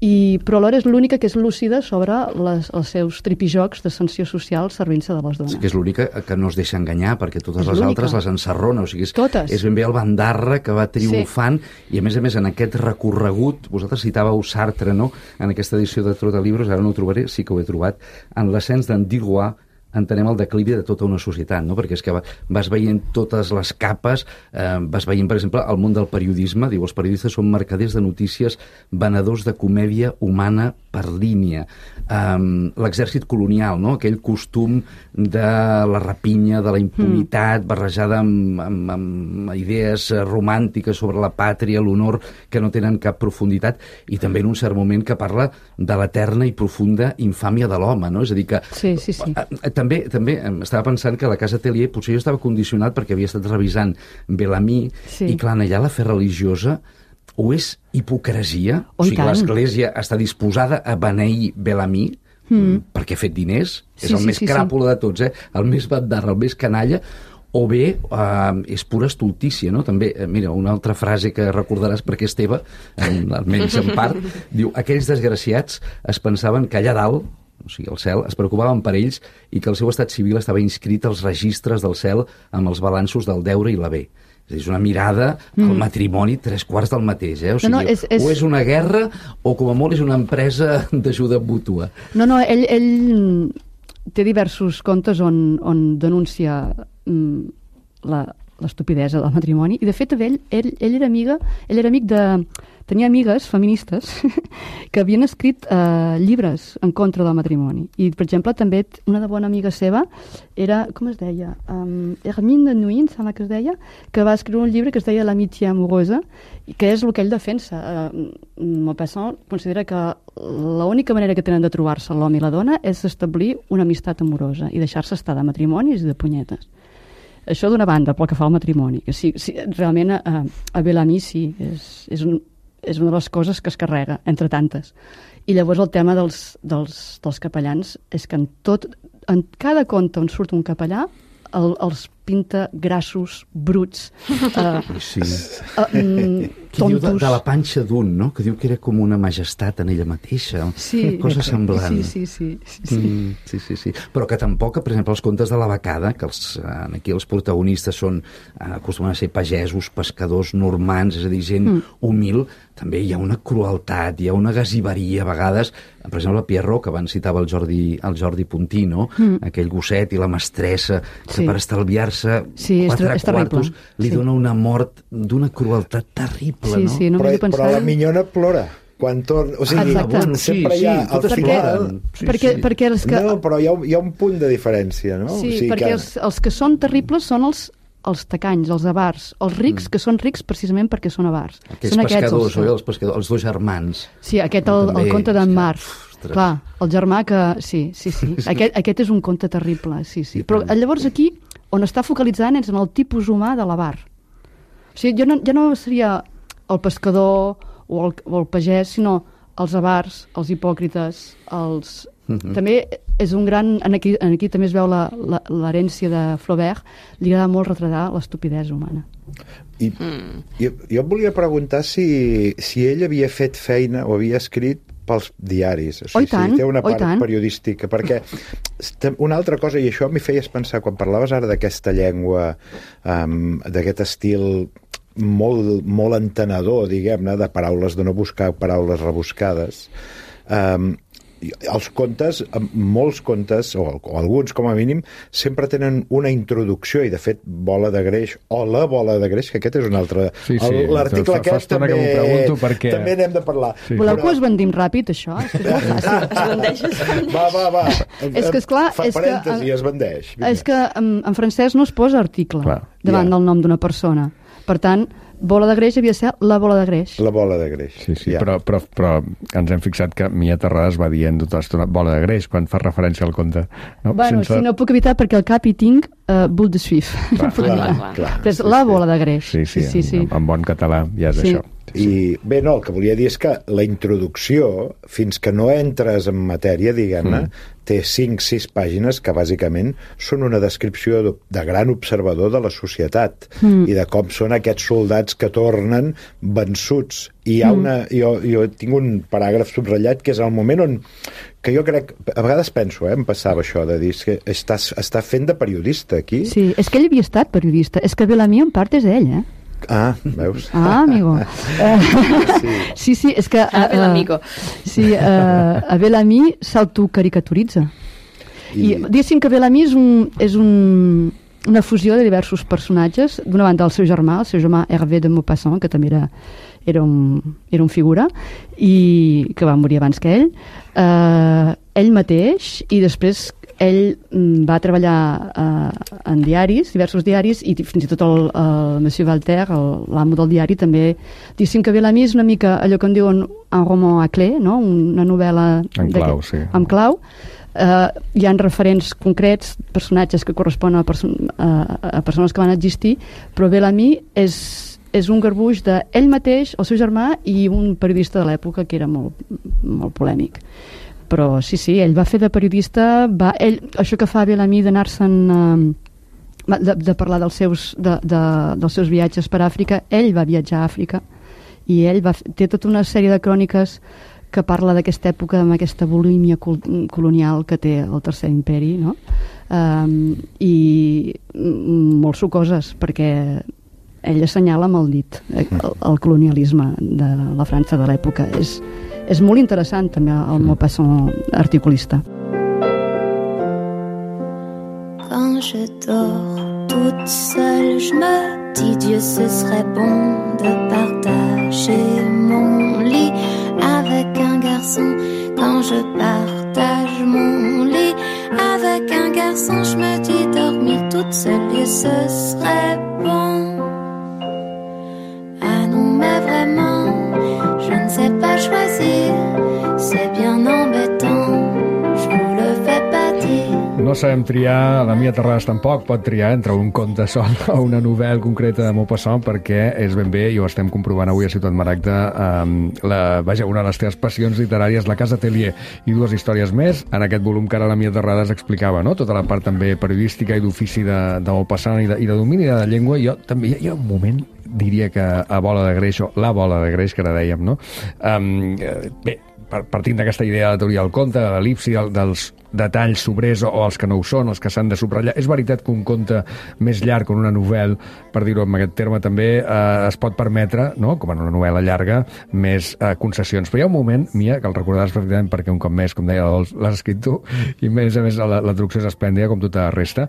Speaker 3: I, però alhora és l'única que és lúcida sobre les, els seus tripijocs d'ascensió social servint-se de les dones.
Speaker 5: Sí, que és l'única que no es deixa enganyar, perquè totes és les altres les ensarrona. O sigui, és,
Speaker 3: totes.
Speaker 5: És ben bé el bandarra que va triomfant, sí. I a més a més en aquest recorregut, vosaltres citàveu Sartre, no?, en aquesta edició de Trotalibros, ara no ho trobaré, sí que ho he trobat, en l'ascens d'en Digois, entenem el declivi de tota una societat, no? Perquè és que vas veient totes les capes, eh, vas veient, per exemple, el món del periodisme, diu, els periodistes són mercaders de notícies, venedors de comèdia humana per línia. Um, l'exèrcit colonial, no? Aquell costum de la rapinya, de la impunitat, mm. barrejada amb, amb, amb idees romàntiques sobre la pàtria, l'honor, que no tenen cap profunditat, i també en un cert moment que parla de l'eterna i profunda infàmia de l'home, no? És a dir que...
Speaker 3: Sí, sí, sí.
Speaker 5: Eh, també, també estava pensant que la Casa Tellier potser jo estava condicionat perquè havia estat revisant Bellamy,
Speaker 3: Sí.
Speaker 5: i clar, allà la fe religiosa o és hipocresia,
Speaker 3: Oh,
Speaker 5: o
Speaker 3: i
Speaker 5: sigui,
Speaker 3: tant.
Speaker 5: l'Església està disposada a beneir Bellamy mm. perquè ha fet diners,
Speaker 3: Sí,
Speaker 5: és el
Speaker 3: sí,
Speaker 5: més
Speaker 3: sí, sí.
Speaker 5: cràpula de tots, eh? el més bandarra, el més canalla, o bé eh, és pura estultícia, no? També, eh, mira, una altra frase que recordaràs perquè és teva, en, almenys en part, diu, aquells desgraciats es pensaven que allà dalt, o sigui, al cel, es preocupaven per ells i que el seu estat civil estava inscrit als registres del cel amb els balanços del deure i l'haver. És a dir, és una mirada al matrimoni tres quarts del mateix, eh? O sigui,
Speaker 3: No, no, és- és-
Speaker 5: o és una guerra o com a molt és una empresa d'ajuda mútua.
Speaker 3: No, no, ell, ell té diversos contes on, on denuncia mm, la, l'estupidesa del matrimoni, i de fet ell, ell, ell era amiga, ell era amic de... Tenia amigues feministes que havien escrit eh, llibres en contra del matrimoni. I, per exemple, també una de bona amiga seva era, com es deia? Um, Hermine de Nuin, sembla que es deia, que va escriure un llibre que es deia L'amitié amoureuse, i que és el que ell defensa. Uh, Maupassant considera que l'única manera que tenen de trobar-se l'home i la dona és establir una amistat amorosa i deixar-se estar de matrimonis i de punyetes. Això d'una banda, pel que fa al matrimoni, que sí, sí realment a, a Bellamy sí, és, és, un, és una de les coses que es carrega, entre tantes. I llavors el tema dels, dels, dels capellans és que en tot, en cada conte on surt un capellà, el, els pinta grassos, bruts, eh,
Speaker 5: Sí.
Speaker 3: eh, mm,
Speaker 5: Que diu de,
Speaker 3: tontos.
Speaker 5: de la panxa d'un, no? Que diu que era com una majestat en ella mateixa.
Speaker 3: Sí,
Speaker 5: Una cosa semblant.
Speaker 3: Sí, sí, sí. sí, sí.
Speaker 5: Mm, sí, sí, sí. Però que tampoc, per exemple, els contes de la becada, que els, eh, aquí els protagonistes són, eh, acostumen a ser pagesos, pescadors normans, és a dir, gent mm. humil, també hi ha una crueltat, hi ha una gasiveria a vegades. Per exemple, Pierrot, que abans citava el Jordi, el Jordi Puntí, no? Mm. Aquell gosset i la mestressa, que
Speaker 3: Sí.
Speaker 5: per estalviar-se
Speaker 3: Sí, és
Speaker 5: quatre
Speaker 3: ter- és terrible.
Speaker 5: quartos li
Speaker 3: Sí.
Speaker 5: dona una mort d'una crueltat terrible,
Speaker 3: Sí,
Speaker 5: no?
Speaker 3: sí, no
Speaker 4: però,
Speaker 3: m'hi he pensat.
Speaker 4: però la minyona plora quan torna... O sigui,
Speaker 3: Exacte.
Speaker 5: Bueno, sí,
Speaker 4: sempre hi ha
Speaker 5: sí,
Speaker 4: al
Speaker 5: totes
Speaker 4: final...
Speaker 5: ploren. Sí,
Speaker 3: perquè,
Speaker 5: sí.
Speaker 3: perquè els que...
Speaker 4: No, però hi ha, un- hi ha un punt de diferència, no?
Speaker 3: Sí,
Speaker 4: o sigui
Speaker 3: perquè
Speaker 4: que...
Speaker 3: els, els que són terribles són els, els tacanys, els avars. Els rics, mm. que són rics precisament perquè són avars.
Speaker 5: Aquells
Speaker 3: són
Speaker 5: pescadors,
Speaker 3: els,
Speaker 5: oi? Els pescadors, els dos germans.
Speaker 3: Sí, aquest, el,
Speaker 5: També,
Speaker 3: el conte d'en
Speaker 5: és que-
Speaker 3: Marc.
Speaker 5: Ostres.
Speaker 3: Clar, el germà que... Sí, sí, sí. Aquest, aquest és un conte terrible, sí, sí.
Speaker 5: I
Speaker 3: Però
Speaker 5: tant.
Speaker 3: llavors aquí, on està focalitzant és en el tipus humà de l'avar. O sigui, jo no, ja no seria el pescador o el, o el pagès, sinó els avars, els hipòcrites, els...
Speaker 5: Mhm.
Speaker 3: També és un gran... En aquí, en aquí també es veu la- la- l'herència de Flaubert, li agrada molt retratar l'estupidesa humana.
Speaker 4: I, jo, jo et volia preguntar si, si ell havia fet feina o havia escrit pels diaris. O
Speaker 3: Oh, i
Speaker 4: sigui,
Speaker 3: tant,
Speaker 4: si té una
Speaker 3: oh, i
Speaker 4: part
Speaker 3: tant.
Speaker 4: periodística, perquè estem- una altra cosa, i això m'hi feies pensar, quan parlaves ara d'aquesta llengua, um, d'aquest estil molt, molt entenedor, diguem-ne, de paraules, de no buscar paraules rebuscades, um, els contes, molts contes, o, o alguns com a mínim, sempre tenen una introducció, i de fet Bola de Greix, o la Bola de Greix, que aquest és un altre...
Speaker 1: Sí, sí,
Speaker 4: el- L'article
Speaker 1: fa- fa
Speaker 4: aquest
Speaker 1: estona
Speaker 4: també,
Speaker 1: que m'ho pregunto perquè-
Speaker 4: també n'hem de parlar.
Speaker 1: Sí.
Speaker 3: Voleu
Speaker 4: Però-
Speaker 3: que ho esbandim ràpid, això? És que és molt fàcil.
Speaker 6: Es bandeix, es bandeix.
Speaker 4: Va, va, va.
Speaker 3: És que, esclar,
Speaker 4: Fa
Speaker 3: és que-
Speaker 4: parèntesi, es bandeix. Vinga.
Speaker 3: És que en, en francès no es posa article
Speaker 1: Clar.
Speaker 3: davant
Speaker 4: Ja.
Speaker 3: del nom d'una persona. Per tant, Bola de Greix havia de ser la Bola de Greix.
Speaker 4: La Bola de Greix.
Speaker 1: Sí, sí,
Speaker 4: Ja.
Speaker 1: però, però, però ens hem fixat que Mia Terrades va dient tota l'estona bola de greix quan fa referència al conte. No?
Speaker 3: Bueno, si no puc evitar perquè al cap hi tinc uh, Boule de Suif.
Speaker 1: Clar,
Speaker 4: Clar,
Speaker 6: clar.
Speaker 4: clar.
Speaker 3: Però és
Speaker 4: Sí,
Speaker 3: la
Speaker 4: sí.
Speaker 3: Bola de Greix.
Speaker 1: Sí, sí,
Speaker 3: sí, sí.
Speaker 1: En, en bon català ja és
Speaker 3: Sí.
Speaker 1: això.
Speaker 4: I bé, no, el que volia dir és que la introducció, fins que no entres en matèria, diguem-ne, mm. té cinc sis pàgines que bàsicament són una descripció de, de gran observador de la societat mm. i de com són aquests soldats que tornen vençuts. I hi ha una, jo, jo tinc un paràgraf subratllat que és el moment on, que jo crec, a vegades penso, eh, em passava això de dir que està, està fent de periodista aquí.
Speaker 3: Sí, és que ell havia estat periodista. És que Bellamy en part és ell, eh?
Speaker 4: Ah, veus?
Speaker 3: Ah, amigo. Eh, sí, sí, és que...
Speaker 6: Ah,
Speaker 3: eh,
Speaker 6: Bellamico.
Speaker 3: Sí, eh, a Bellamy s'autocaricaturitza. I,
Speaker 4: I-
Speaker 3: diguéssim que Bellamy és, un, és un, una fusió de diversos personatges. D'una banda, el seu germà, el seu germà Hervé de Maupassant, que també era, era, un, era un figura, i que va morir abans que ell. Eh, ell mateix, i després ell mm, va treballar eh, en diaris, diversos diaris, i fins i tot el, el Monsieur Walter, el- l'amo del diari, també... Diguéssim que Bellamy és una mica allò que en diuen un roman à clé, no? Una novel·la...
Speaker 1: En clau,
Speaker 3: d'aquest-
Speaker 1: sí.
Speaker 3: amb clau, Uh, hi ha referents concrets, personatges que corresponen a, perso a, a persones que van existir, però Bellamy és, és un garbuix d'ell mateix, el seu germà i un periodista de l'època que era molt, molt polèmic. Però sí, sí, ell va fer de periodista, va, ell, això que fa Bellamy d'anar-se'n... Uh, De, de parlar dels seus, de, de, dels seus viatges per Àfrica, ell va viatjar a Àfrica i ell va, té tota una sèrie de cròniques que parla d'aquesta època amb aquesta bulímia col colonial que té el Tercer Imperi, no? Um, i molt sucoses, perquè ell assenyala amb el dit el, el colonialisme de la França de l'època. És, és molt interessant també el Maupassant articulista.
Speaker 8: Quand je dors toute seule, je me dis Dieu, ce serait bon de partager mon lit avec un garçon. Quand je partage mon lit avec un garçon, je me dis dormir toute seule, Dieu, ce serait bon. Ah non, mais vraiment, je ne sais pas choisir, c'est bien embêtant, je vous le fais pas dire.
Speaker 1: No sabem triar, la Mia Terrades tampoc pot triar entre un conte sol o una novel·la concreta de Maupassant, perquè és ben bé, i ho estem comprovant avui a Ciutat Maragda, um, la, vaja, una de les teves passions literàries, La Casa Atelier, i dues històries més, en aquest volum que ara la Mia Terrades explicava, no? Tota la part també periodística i d'ofici de, de Maupassant i de, i de domini de la llengua. Jo també hi ha, hi ha un moment, diria que a Bola de Greix, o la Bola de Greix, que ara dèiem, no? Um, bé, partint d'aquesta idea de la teoria del conte, de l'elipsi, dels detalls sobrers o, o els que no ho són, els que s'han de subratllar. És veritat que un conte més llarg o una novel·la, per dir-ho amb aquest terme també, eh, es pot permetre, no? Com en una novel·la llarga, més eh, concessions. Però hi ha un moment, Mia, que el recordaràs perfectament perquè un cop més, com deia, l'has escrit tu, i a més a més la, la traducció és esplèndida, com tota la resta,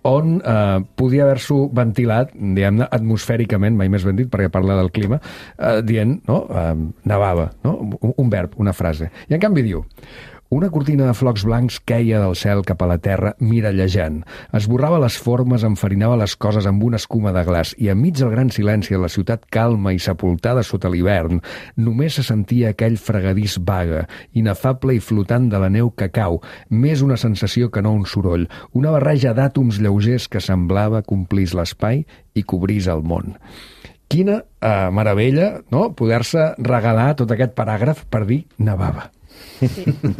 Speaker 1: on eh, podia haver-s'ho ventilat, diguem-ne, atmosfèricament, mai més ben dit, perquè parla del clima, eh, dient, no?, eh, nevava, no?, un, un verb, una frase. I en canvi diu: una cortina de flocs blancs queia del cel cap a la terra mirallejant. Esborrava les formes, enfarinava les coses amb una escuma de glaç i enmig del gran silenci de la ciutat calma i sepultada sota l'hivern només se sentia aquell fregadís vague, inefable i flotant de la neu que cau, més una sensació que no un soroll, una barreja d'àtoms lleugers que semblava complís l'espai i cobrís el món. Quina eh, meravella, no?, poder-se regalar tot aquest paràgraf per dir nevava.
Speaker 3: Sí,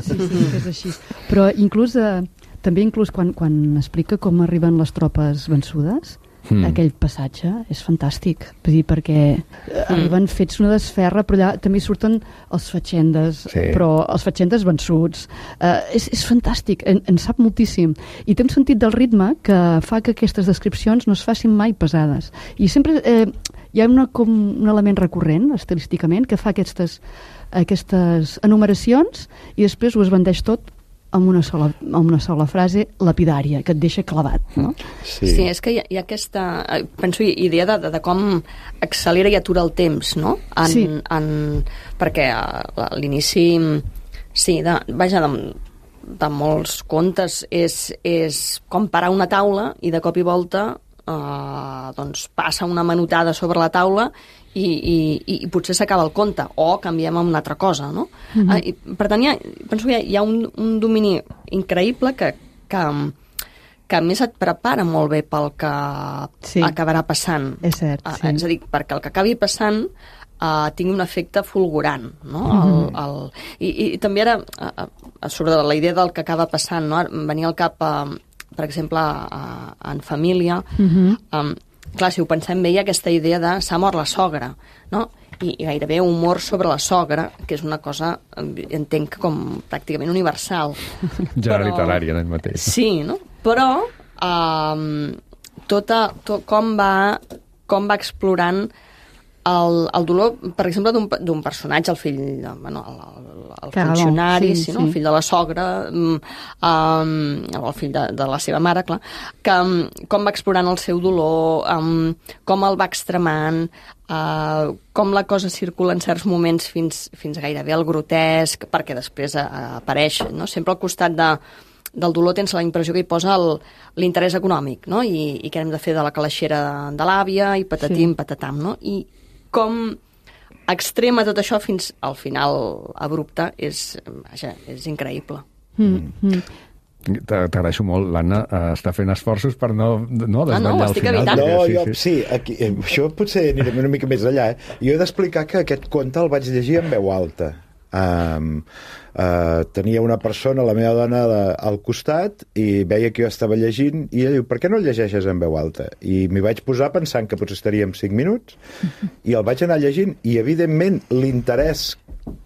Speaker 3: sí, sí, és així. Però inclús, eh, també inclús quan, quan explica com arriben les tropes vençudes, mm. aquell passatge és fantàstic, vull dir, perquè mm. arriben fets una desferra, però allà també surten els fatxendes, sí. però els fatxendes vençuts. Eh, és, és fantàstic, en, en sap moltíssim. I té un sentit del ritme que fa que aquestes descripcions no es facin mai pesades. I sempre eh, hi ha una, com un element recurrent, estilísticament, que fa aquestes aquestes enumeracions i després ho esbandeix tot amb una sola, amb una sola frase lapidària, que et deixa clavat, no?
Speaker 6: Sí, sí, és que hi ha, hi ha aquesta, penso, idea de, de, de com accelera i atura el temps, no? En, sí. En, perquè a l'inici, sí, de, vaja, de, de molts contes és, és com parar una taula i de cop i volta eh, doncs passa una manotada sobre la taula i, i, i potser s'acaba el conte, o canviem a una altra cosa, no? Mm-hmm. eh, i, per tant, hi ha, penso que hi ha, hi ha un, un domini increïble que, que, que a més et prepara molt bé pel que sí. acabarà passant.
Speaker 3: És cert,
Speaker 6: eh,
Speaker 3: sí.
Speaker 6: És a dir, perquè el que acabi passant eh, tingui un efecte fulgurant, no? Mm-hmm. el, el, i, I també ara, eh, sobre la idea del que acaba passant, no? Venia al cap, eh, per exemple, eh, en família, mm-hmm. eh, clar, si ho pensem bé, hi ha aquesta idea de s'ha mort la sogra, no? I, i gairebé humor sobre la sogra, que és una cosa, entenc, com pràcticament universal.
Speaker 1: Ja però, literària, en ell mateix.
Speaker 6: Sí, no? Però um, tota, tot, com, va, com va explorant el, el dolor, per exemple, d'un personatge, el fill, bueno, el, el funcionari, sí, sí, no? Sí. El fill de la sogra, um, el fill de, de la seva mare, clar, que com va explorant el seu dolor, um, com el va extremant, uh, com la cosa circula en certs moments fins, fins gairebé al grotesc, perquè després uh, apareix, no? Sempre al costat de, del dolor tens la impressió que hi posa l'interès econòmic, no? I, i què hem de fer de la calaixera de l'àvia, i patatim, sí. patatam, no? I com extrema tot això fins al final abrupte és, vaja, és increïble.
Speaker 3: Mm, mm.
Speaker 1: T'agraeixo molt, l'Anna uh, està fent esforços per no, no desvetllar
Speaker 6: no,
Speaker 1: al final.
Speaker 6: evitant.
Speaker 4: No,
Speaker 1: sí,
Speaker 4: jo,
Speaker 1: sí.
Speaker 4: sí, aquí, eh, això potser anirem una mica més allà. Eh? Jo he d'explicar que aquest conte el vaig llegir en veu alta. Um, uh, tenia una persona, la meva dona, de, al costat, i veia que jo estava llegint, i ella diu, per què no el llegeixes en veu alta? I m'hi vaig posar pensant que potser estaríem cinc minuts, i el vaig anar llegint, i evidentment l'interès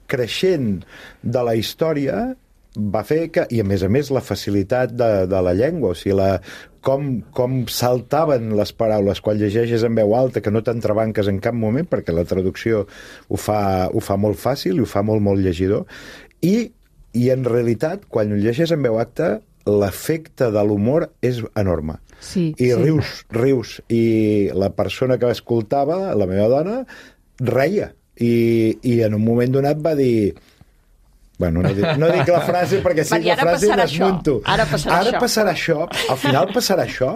Speaker 4: creixent de la història va fer que, i a més a més la facilitat de, de la llengua, o sigui, la, com, com saltaven les paraules quan llegeixes en veu alta, que no t'entrebanques en cap moment, perquè la traducció ho fa, ho fa molt fàcil i ho fa molt, molt llegidor, i, i en realitat, quan ho llegeixes en veu alta, l'efecte de l'humor és enorme.
Speaker 3: Sí,
Speaker 4: I
Speaker 3: sí.
Speaker 4: rius, rius, i la persona que escoltava, la meva dona, reia, i, i en un moment donat va dir... Bueno, no dic, no dic la frase perquè si la frase desmunto.
Speaker 6: Ara passarà
Speaker 4: Ara
Speaker 6: això.
Speaker 4: passarà això. Al final passarà això.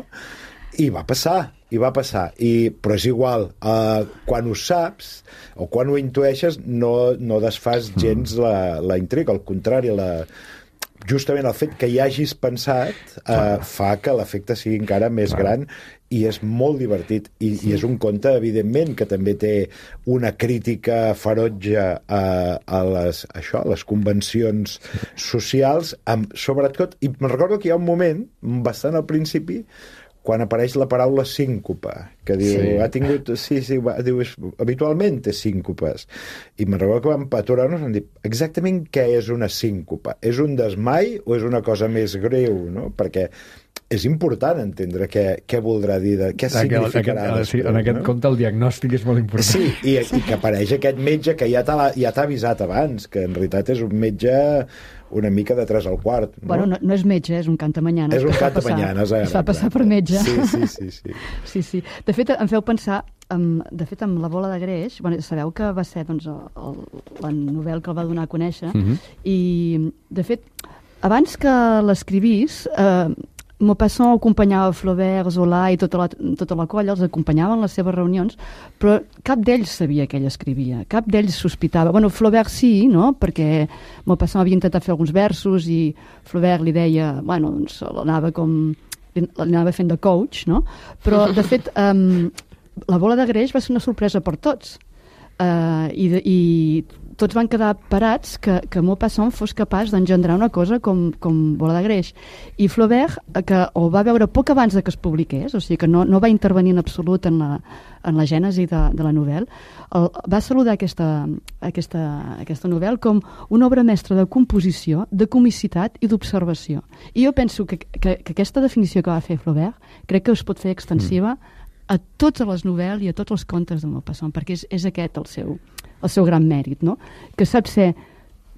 Speaker 4: I va passar, i va passar. I, però és igual, uh, quan ho saps o quan ho intueixes no, no desfas gens la, la intriga. Al contrari, la, justament el fet que hi hagis pensat uh, fa que l'efecte sigui encara més
Speaker 1: Clar.
Speaker 4: gran, i és molt divertit, I, sí. i és un conte evidentment que també té una crítica ferotge a, a les, això, a les convencions socials, amb, sobretot, i me'n recordo que hi ha un moment bastant al principi quan apareix la paraula síncope, que diu,
Speaker 1: Sí.
Speaker 4: ha tingut, sí, sí, va, diu, és, habitualment té síncopes. I me'n recordo que vam aturar-nos i vam dir, exactament què és una síncope? És un desmai o és una cosa més greu, no? Perquè és important entendre què, què voldrà dir, de, què significarà.
Speaker 1: Aquest,
Speaker 4: després,
Speaker 1: en aquest
Speaker 4: no?
Speaker 1: conte el diagnòstic és molt important.
Speaker 4: Sí, i, i que apareix aquest metge que ja t'ha ja t'ha avisat abans, que en realitat és un metge una mica de tres al quart. No?
Speaker 3: Bueno, no, no és metge, és un cantamanyanes.
Speaker 4: És un
Speaker 3: que es fa
Speaker 4: cantamanyanes,
Speaker 3: passar-
Speaker 4: ara.
Speaker 3: Es fa passar per metge.
Speaker 4: Sí, sí, sí. sí.
Speaker 3: Sí, sí. De fet, em feu pensar, um, de fet, amb La bola de greix, bueno, sabeu que va ser doncs, el, el, la novel·la que el va donar a conèixer,
Speaker 1: Mhm.
Speaker 3: i, de fet, abans que l'escrivís, eh, Maupassant acompanyava Flaubert, Zola i tota la, tota la colla, els acompanyava en les seves reunions, però cap d'ells sabia que ell escrivia, cap d'ells sospitava. Bueno, Flaubert sí, no?, perquè Maupassant havia intentat fer alguns versos i Flaubert li deia, bueno, doncs l'anava com... l'anava fent de coach, no? Però, de fet, um, La bola de greix va ser una sorpresa per tots. Uh, i, de, i tots van quedar parats que, que Maupassant fos capaç d'engendrar una cosa com, com Bola de greix. I Flaubert, que ho va veure poc abans de que es publiqués, o sigui que no, no va intervenir en absolut en la, en la gènesi de, de la novel·la, el, va saludar aquesta, aquesta, aquesta novel·la com una obra mestra de composició, de comicitat i d'observació. I jo penso que, que, que aquesta definició que va fer Flaubert crec que es pot fer extensiva mm. a totes les novel·les i a tots els contes de Maupassant, perquè és, és aquest el seu, el seu gran mèrit, no? Que sap ser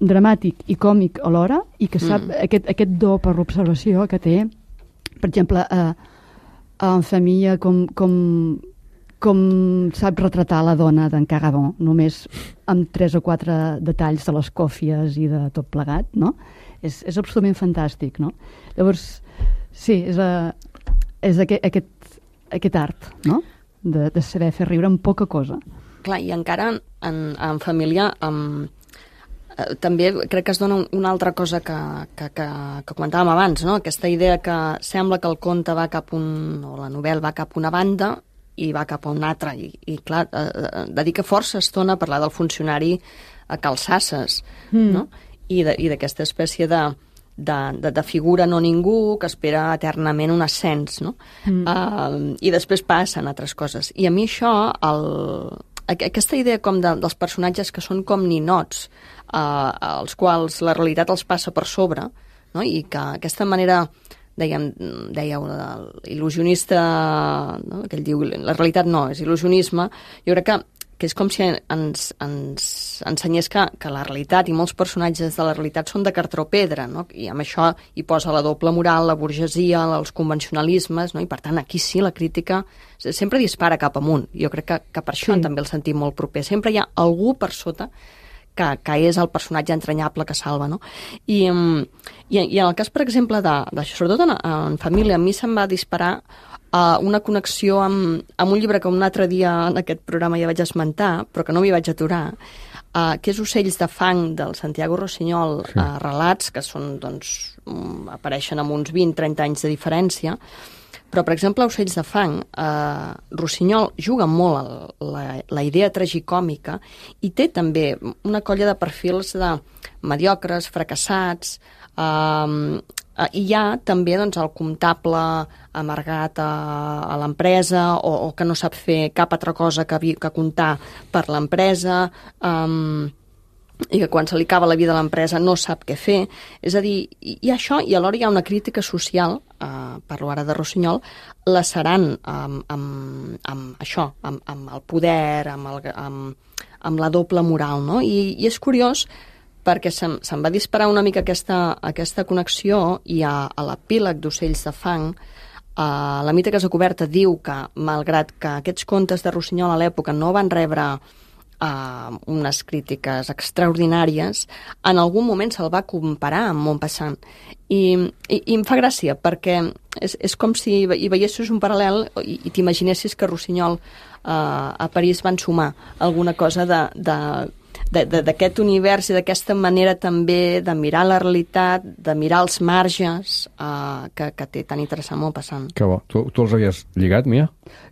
Speaker 3: dramàtic i còmic alhora i que sap mm. aquest, aquest do per l'observació que té, per exemple, a, a En família, com, com, com sap retratar la dona d'en Cagabon, només amb tres o quatre detalls de les còfies i de tot plegat, no? És, és absolutament fantàstic, no? Llavors, sí, és, a, és aquest, aquest aquest art, no?, de, de saber fer riure amb poca cosa.
Speaker 6: Clar, i encara en, en família um, eh, també crec que es dona una altra cosa que, que, que, que comentàvem abans, no? Aquesta idea que sembla que el conte va cap un, o la novel·la va cap una banda i va cap a una altra, i, i clar, eh, dedica força estona a parlar del funcionari a Calçasses, mm. no? I d'aquesta espècie de De, de, de figura no ningú que espera eternament un ascens, no? Mm. Uh, I després passen altres coses. I a mi això, el, aquesta idea com de, dels personatges que són com ninots, uh, als quals la realitat els passa per sobre, no? I que aquesta manera, dèiem, dèieu, il·lusionista, no? Que ell diu, la realitat no, és il·lusionisme, jo crec que que és com si ens, ens ensenyés que, que la realitat i molts personatges de la realitat són de cartró pedra, no? I amb això hi posa la doble moral, la burgesia, els convencionalismes, no? I per tant aquí sí la crítica sempre dispara cap amunt. Jo crec que, que per això sí. També el sentim molt proper. Sempre hi ha algú per sota que, que és el personatge entranyable que salva, no? I, i, i en el cas, per exemple, de, de sobretot en, en família, a mi se'm va disparar uh, una connexió amb, amb un llibre que un altre dia en aquest programa ja vaig esmentar, però que no m'hi vaig aturar, uh, que és Ocells de fang, del Santiago Rossinyol, sí. uh, relats que són, doncs, um, apareixen amb uns vint a trenta anys de diferència. Però, per exemple, a Ocells de fang, eh, Rossinyol juga molt el, la, la idea tragicòmica i té també una colla de perfils de mediocres, fracassats, eh, i hi ha també doncs, el comptable amargat a, a l'empresa o, o que no sap fer cap altra cosa que, que comptar per l'empresa, eh, i que quan se li acaba la vida a l'empresa no sap què fer. És a dir, hi ha això i alhora hi ha una crítica social, eh, parlo ara de Rossinyol, lacerant amb, amb, amb això, amb, amb el poder, amb, el, amb, amb la doble moral, no? I, i és curiós perquè se'm, se'm va disparar una mica aquesta, aquesta connexió i a, a l'epíleg d'Ocells de fang, eh, la Mite Casa Coberta diu que, malgrat que aquests contes de Rossinyol a l'època no van rebre Uh, unes crítiques extraordinàries, en algun moment se'l va comparar amb Maupassant. I, i, i em fa gràcia, perquè és, és com si hi veiessis un paral·lel i, i t'imaginessis que Rossinyol uh, a París van sumar alguna cosa de, de, d'aquest univers i d'aquesta manera també de mirar la realitat, de mirar els marges uh, que, que té tan interessant Maupassant.
Speaker 1: Que bo. Tu, tu els havies lligat, Mia?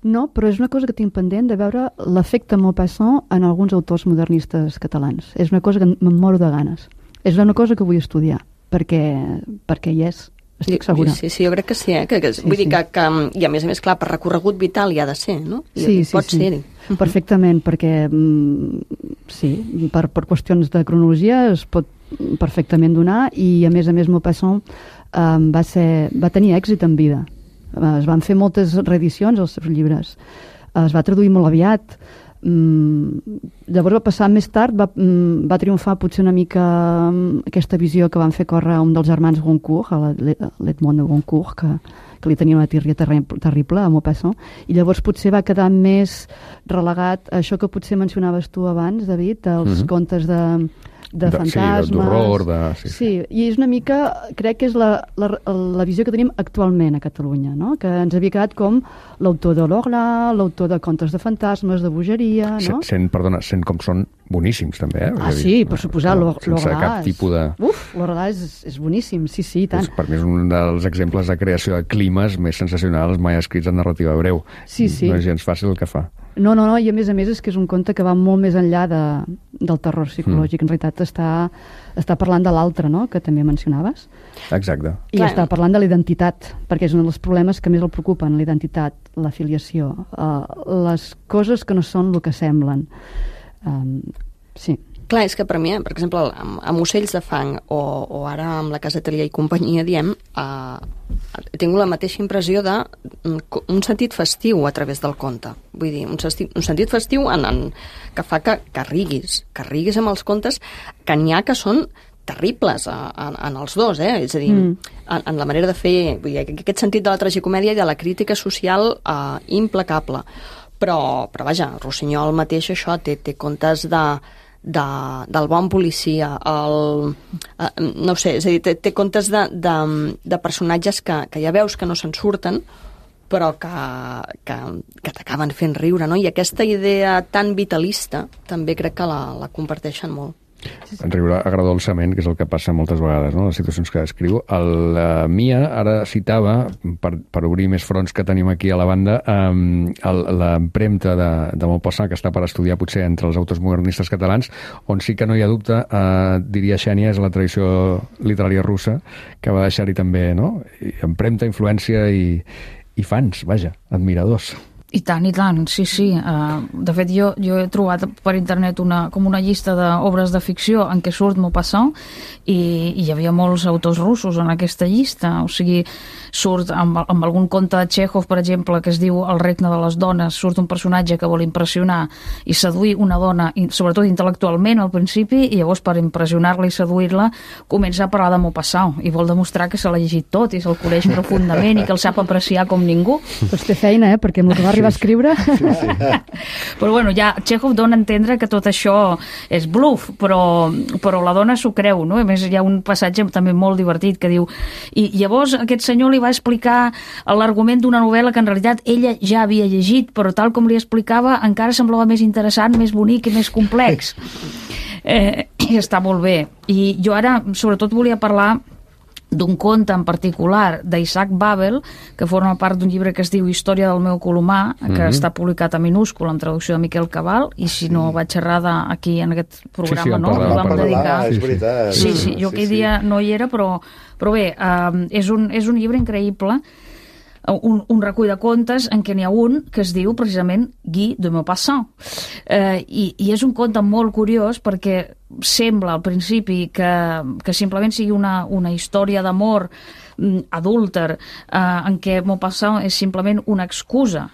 Speaker 3: No, però és una cosa que tinc pendent de veure l'efecte Maupassant en alguns autors modernistes catalans. És una cosa que me'n moro de ganes. És una cosa que vull estudiar, perquè, perquè hi és. Estic segura.
Speaker 6: Sí, sí, jo crec que sí, eh? Que, que, sí, vull sí. dir que, que, i a més a més, clar, per recorregut vital hi ha de ser, no? I,
Speaker 3: sí,
Speaker 6: i pot
Speaker 3: sí,
Speaker 6: ser-hi.
Speaker 3: Sí. Perfectament, perquè sí, per, per qüestions de cronologia es pot perfectament donar i a més a més Maupassant eh, va, ser, va tenir èxit en vida. Es van fer moltes reedicions als seus llibres. Es va traduir molt aviat. Mm, llavors va passar més tard, va, mm, va triomfar potser una mica mm, aquesta visió que van fer córrer un dels germans Goncourt, l'Edmond de Goncourt, que, que li tenia una tírria terrible a Maupassant, i llavors potser va quedar més relegat a això que potser mencionaves tu abans, David, els mm-hmm. contes de de, de fantasmes.
Speaker 1: Sí, d'horror. De... Sí, sí.
Speaker 3: sí, i és una mica, crec que és la, la, la visió que tenim actualment a Catalunya, no? Que ens havia quedat com l'autor de l'Orla, l'autor de contes de fantasmes, de bogeria, no?
Speaker 1: Sent, perdona, sent com són boníssims, també, eh?
Speaker 3: Ah, sí, per suposar, l'Orla.
Speaker 1: Sense cap tipus de...
Speaker 3: Uf, l'Orla és, és boníssim, sí, sí, tant.
Speaker 1: És, per mi és un dels exemples de creació de climes més sensacionals mai escrits en narrativa breu.
Speaker 3: Sí, sí.
Speaker 1: No és gens fàcil el que fa.
Speaker 3: No, no, no, i a més a més és que és un conte que va molt més enllà de, del terror psicològic. Mm. En realitat està, està parlant de l'altre, no?, que també mencionaves.
Speaker 1: Exacte.
Speaker 3: I Clar. està parlant de la identitat, perquè és un dels problemes que més el preocupen, la identitat, la filiació, uh, les coses que no són el que semblen. Um, sí.
Speaker 6: Clar, és que per mi, per exemple, amb, amb Ocells de fang o, o ara amb la Casa Atelier i companyia, diem, eh, he tingut la mateixa impressió de un sentit festiu a través del conte. Vull dir, un sentit, un sentit festiu en, en, que fa que, que riguis, que riguis amb els contes, que n'hi ha que són terribles a, a, en els dos, eh? És a dir, mm. en, en la manera de fer, vull dir, aquest sentit de la tragicomèdia i de la crítica social eh, implacable. Però, però vaja, Rossinyol mateix això té, té contes de De, del bon policia, el, eh, no sé, és a dir, té, té contes de, de, de personatges que, que ja veus que no se'n surten, però que, que, que t'acaben fent riure, no? I aquesta idea tan vitalista també crec que la, la comparteixen molt.
Speaker 1: En riure agradolçament, que és el que passa moltes vegades, no?, les situacions que descriu. El uh, Mia ara citava, per, per obrir més fronts que tenim aquí a la banda, um, l'empremta de, de Maupassant, que està per estudiar potser entre els autors modernistes catalans, on sí que no hi ha dubte, uh, diria Xènia, és la tradició literària russa, que va deixar-hi també, no?, empremta, influència i, i fans, vaja, admiradors.
Speaker 7: I tant, i tant, sí, sí. Uh, de fet, jo, jo he trobat per internet una, com una llista d'obres de ficció en què surt Maupassant i, i hi havia molts autors russos en aquesta llista. O sigui, surt amb, amb algun conte de Chekhov, per exemple, que es diu El regne de les dones, surt un personatge que vol impressionar i seduir una dona, i, sobretot intel·lectualment al principi, i llavors per impressionar-la i seduir-la comença a parlar de Maupassant i vol demostrar que se l'ha llegit tot i se'l coneix profundament i que el sap apreciar com ningú.
Speaker 3: Doncs té feina, eh? Perquè amb el que va arribar a escriure.
Speaker 4: Sí, sí.
Speaker 7: Però bueno, ja Chekhov dona a entendre que tot això és bluff, però, però la dona s'ho creu, no? A més, hi ha un passatge també molt divertit que diu i llavors aquest senyor li va explicar l'argument d'una novel·la que en realitat ella ja havia llegit, però tal com li explicava encara semblava més interessant, més bonic i més complex. Eh, i està molt bé. I jo ara, sobretot, volia parlar d'un conte en particular d'Isaac Babel, que forma part d'un llibre que es diu Història del meu colomar, que mm-hmm. està publicat a minúscul en traducció de Miquel Cabal, i si sí. no vaig xerrada aquí en aquest programa,
Speaker 1: sí, sí,
Speaker 7: no?
Speaker 1: Parlar,
Speaker 7: Ho vam dedicar.
Speaker 4: És veritat.
Speaker 7: Sí, sí, jo aquell
Speaker 4: sí,
Speaker 7: dia
Speaker 4: sí.
Speaker 7: no hi era, però, però bé, uh, és, un, és un llibre increïble, un, un recull de contes en què n'hi ha un que es diu precisament Guy de Maupassant. Eh, i, I és un conte molt curiós perquè sembla al principi que, que simplement sigui una, una història d'amor mm, adúlter eh, en què Maupassant és simplement una excusa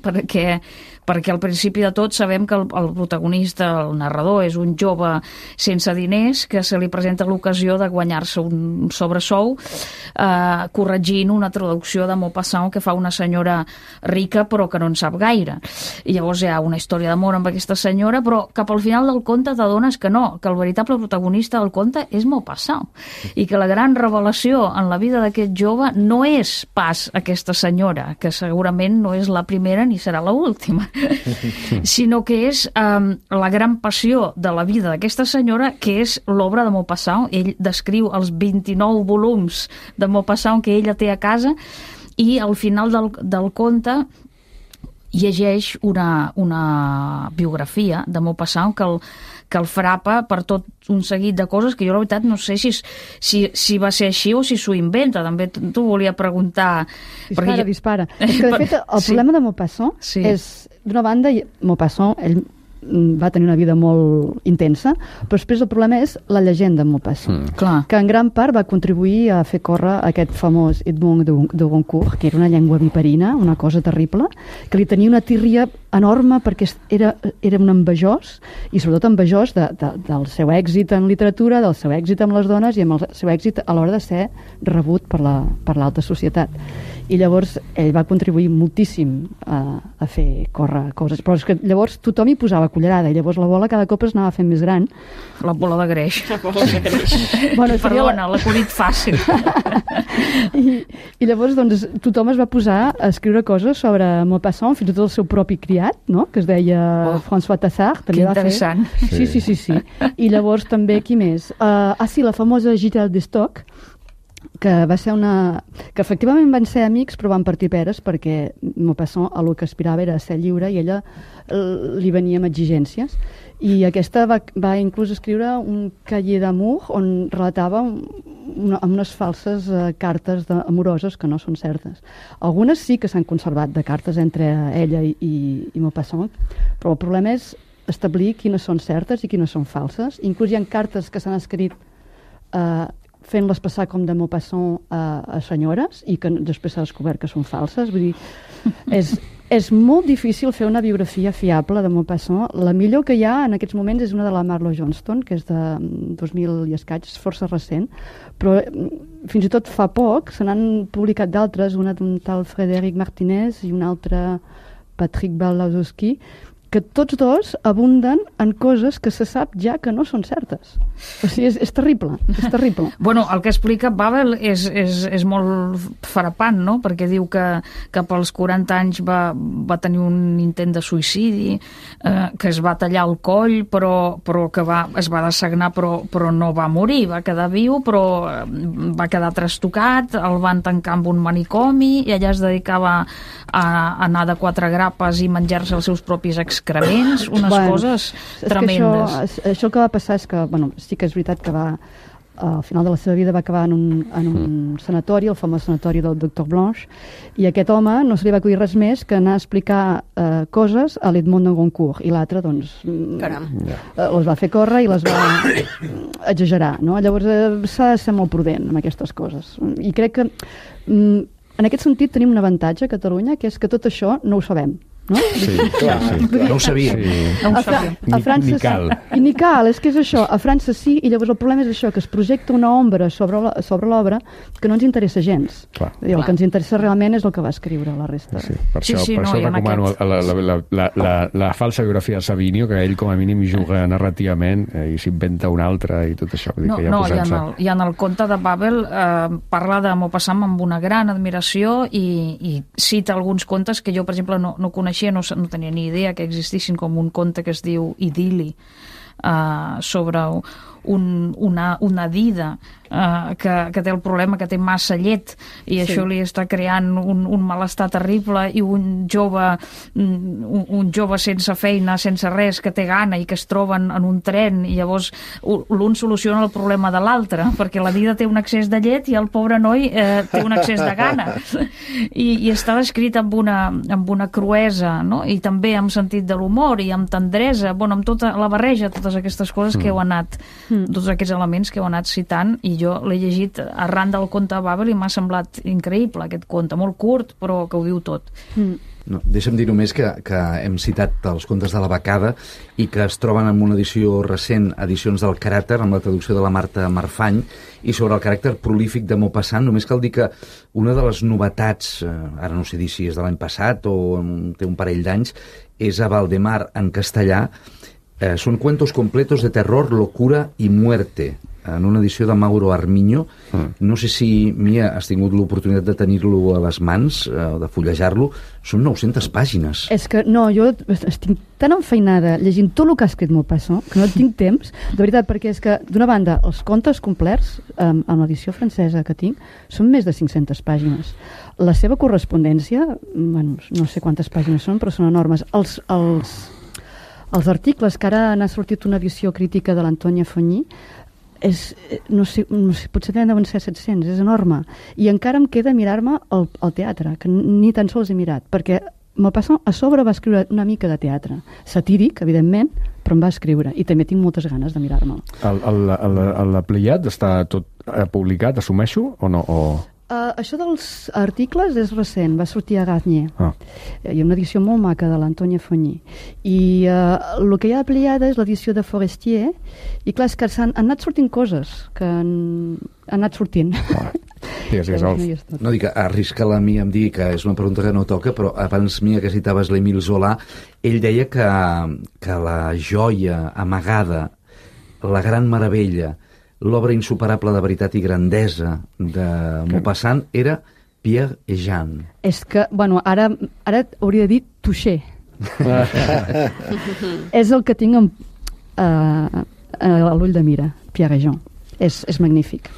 Speaker 7: perquè, perquè al principi de tot sabem que el, el protagonista, el narrador, és un jove sense diners que se li presenta l'ocasió de guanyar-se un sobresou eh, corregint una traducció de Maupassant que fa una senyora rica però que no en sap gaire. I llavors hi ha una història d'amor amb aquesta senyora, però cap al final del conte t'adones que no, que el veritable protagonista del conte és Maupassant i que la gran revelació en la vida d'aquest jove no és pas aquesta senyora, que segurament no és la primera ni serà l'última, sinó que és um, la gran passió de la vida d'aquesta senyora, que és l'obra de Maupassant. Ell descriu els vint-i-nou volums de Maupassant que ella té a casa i al final del, del conte llegeix una, una biografia de Maupassant que el, que el frapa per tot un seguit de coses que jo la veritat no sé si, si, si va ser així o si s'ho inventa. També t'ho volia preguntar.
Speaker 3: Dispara,
Speaker 7: perquè...
Speaker 3: dispara. És que de fet el
Speaker 7: Sí.
Speaker 3: problema de Maupassant
Speaker 7: Sí.
Speaker 3: és, d'una banda, Maupassant, ell va tenir una vida molt intensa, però després el problema és la llegenda de Maupassant,
Speaker 1: Mm.
Speaker 7: Clar.
Speaker 3: que en gran part va contribuir a fer córrer aquest famós Edmond de, de Goncourt, que era una llengua viperina, una cosa terrible, que li tenia una tírria enorme perquè era, era un envejós, i sobretot envejós de, de, del seu èxit en literatura, del seu èxit amb les dones i amb el seu èxit a l'hora de ser rebut per la, per l'alta societat. I llavors ell va contribuir moltíssim a, a fer córrer coses, però és que llavors tothom hi posava cullerada i llavors la bola cada cop es anava fent més gran.
Speaker 7: La bola de greix.
Speaker 6: La bola de greix.
Speaker 3: Bueno,
Speaker 7: Perdona, l'acudit fàcil.
Speaker 3: I, I llavors doncs, tothom es va posar a escriure coses sobre Maupassant, fins i tot el seu propi criat, no? Que es deia
Speaker 7: Oh,
Speaker 3: François Tassard.
Speaker 7: que
Speaker 3: També va fer.
Speaker 7: interessant.
Speaker 3: Sí, sí, sí, sí. I llavors també, qui més? Uh, ah, sí, la famosa Gitelle d'Estoc, que va ser una... que efectivament van ser amics però van partir peres perquè Maupassant el que aspirava era ser lliure i ella eh, li venia amb exigències i aquesta va, va inclús escriure un cahier d'amour on relatava una, unes falses eh, cartes de, amoroses que no són certes. Algunes sí que s'han conservat de cartes entre ella i, i, i Maupassant, però el problema és establir quines són certes i quines són falses. Inclús hi ha cartes que s'han escrit eh, fent-les passar com de Maupassant a, a senyores i que després s'ha descobert que són falses. Vull dir, és, és molt difícil fer una biografia fiable de Maupassant. La millor que hi ha en aquests moments és una de la Marlo Johnston, que és de dos mil i escaig, és força recent, però fins i tot fa poc se n'han publicat d'altres, una d'un tal Frédéric Martinez i una altra Patrick Balazowski, que tots dos abunden en coses que se sap ja que no són certes. O sigui, és, és terrible, és terrible.
Speaker 7: Bueno, el que explica Babel és, és, és molt frapant, no? Perquè diu que cap als quaranta anys va, va tenir un intent de suïcidi, eh, que es va tallar el coll, però, però que va, es va dessagnar, però, però no va morir, va quedar viu, però va quedar trastocat, el van tancar amb un manicomi i allà es dedicava a, a anar de quatre grapes i menjar-se els seus propis excrements, unes
Speaker 3: bueno,
Speaker 7: coses
Speaker 3: és
Speaker 7: tremendes.
Speaker 3: Que això, això que va passar és que, bueno, sí que és veritat que va, al final de la seva vida va acabar en un, en un mm. sanatori, el famós sanatori del doctor Blanche, i a aquest home no se li va acudir res més que anar a explicar eh, coses a l'Edmond de Goncourt, i l'altre, doncs,
Speaker 6: Caram.
Speaker 3: eh, les va fer córrer i les va exagerar, no? Llavors eh, s'ha de ser molt prudent amb aquestes coses. I crec que, mm, en aquest sentit, tenim un avantatge a Catalunya, que és que tot això no ho sabem. no?
Speaker 1: Sí, clar, sí.
Speaker 5: No ho sabia.
Speaker 1: Sí.
Speaker 7: No ho
Speaker 3: A, Fra
Speaker 7: sabia.
Speaker 3: a França
Speaker 1: Ni cal.
Speaker 3: I ni cal, és que és això, a França sí, i llavors el problema és això, que es projecta una ombra sobre la- sobre l'obra que no ens interessa gens.
Speaker 1: Clar.
Speaker 3: I el que ens interessa realment és el que va escriure, la resta.
Speaker 1: Sí, per
Speaker 7: Sí,
Speaker 1: això,
Speaker 7: sí,
Speaker 1: per
Speaker 7: no,
Speaker 1: això
Speaker 7: i en
Speaker 1: recomano
Speaker 7: aquest-
Speaker 1: la, la, la, la, la, la falsa biografia de Savinio, que ell com a mínim juga narrativament eh, i s'inventa una altra i tot això. Vull dir
Speaker 7: No,
Speaker 1: que ja
Speaker 7: no i, en
Speaker 1: posant-se...
Speaker 7: el, i en el conte de Babel eh, parla de Maupassant amb una gran admiració i, i cita alguns contes que jo, per exemple, no, no coneixia, no, no tenia ni idea que existissin, com un conte que es diu Idili, eh, sobre un, una, una dida eh, que, que té el problema que té massa llet i
Speaker 3: Sí.
Speaker 7: això li està creant un, un malestar terrible, i un jove un, un jove sense feina, sense res, que té gana i que es troben en un tren, i llavors u- l'un soluciona el problema de l'altre, perquè la dida té un excés de llet i el pobre noi eh, té un excés de gana. I, i està escrit amb una, amb una cruesa, no? I també amb sentit de l'humor i amb tendresa, bueno, amb tota la barreja, totes aquestes coses que heu anat, tots aquests elements que heu anat citant, i jo l'he llegit arran del conte de Babel i m'ha semblat increïble aquest conte, molt curt però que ho diu tot.
Speaker 5: No, deixa'm dir només que, que hem citat els contes de la Becada i que es troben en una edició recent, Edicions del Caràcter, amb la traducció de la Marta Marfany, i sobre el caràcter prolífic de Maupassant. Només cal dir que una de les novetats, eh, ara no sé dir si és de l'any passat o té un parell d'anys, és a Valdemar en castellà. Eh, són cuentos completos de terror, locura i muerte, en una edició de Mauro Armiño. Mm. No sé si, Mia, has tingut l'oportunitat de tenir-lo a les mans, eh, de fullejar-lo. Són nou-centes pàgines.
Speaker 3: És que, no, jo estic tan enfeinada llegint tot el que ha escrit Maupassant que no tinc temps, de veritat, perquè és que, d'una banda, els contes complets, amb, amb l'edició francesa que tinc, són més de cinc-centes pàgines. La seva correspondència, bueno, no sé quantes pàgines són, però són enormes. Els, els, els articles, que ara n'ha sortit una edició crítica de l'Antònia Fognì, és, no sé, no sé, potser deuen ser set-cents, és enorme. I encara em queda mirar-me el, el teatre, que ni tan sols he mirat, perquè Maupassant a sobre va escriure una mica de teatre, satíric, evidentment, però em va escriure, i també tinc moltes ganes de mirar-me'l.
Speaker 1: El, el, el, el, la Pleiad està tot eh, publicat, assumeixo, o no? O...
Speaker 3: Uh, això dels articles és recent, va sortir a Garnier.
Speaker 1: Ah.
Speaker 3: Hi ha una edició molt maca de l'Antònia Fognì. I uh, el que hi ha a Pleiada és l'edició de Forestier, i clar, és que s'han han anat sortint coses que han, han anat sortint.
Speaker 1: Ah. Digues, digues, Alf.
Speaker 3: No hi és tot.
Speaker 5: No dic, arrisca la Mia em dir que és una pregunta que no toca, però abans, Mia, que citaves l'Émile Zola, ell deia que, que la joia amagada, la gran meravella, l'obra insuperable de veritat i grandesa de Maupassant era Pierre et Jean.
Speaker 3: És que, bueno, ara, ara hauria de dir touché. És el que tinc en, uh, a l'ull de mira, Pierre et Jean. És, és magnífic.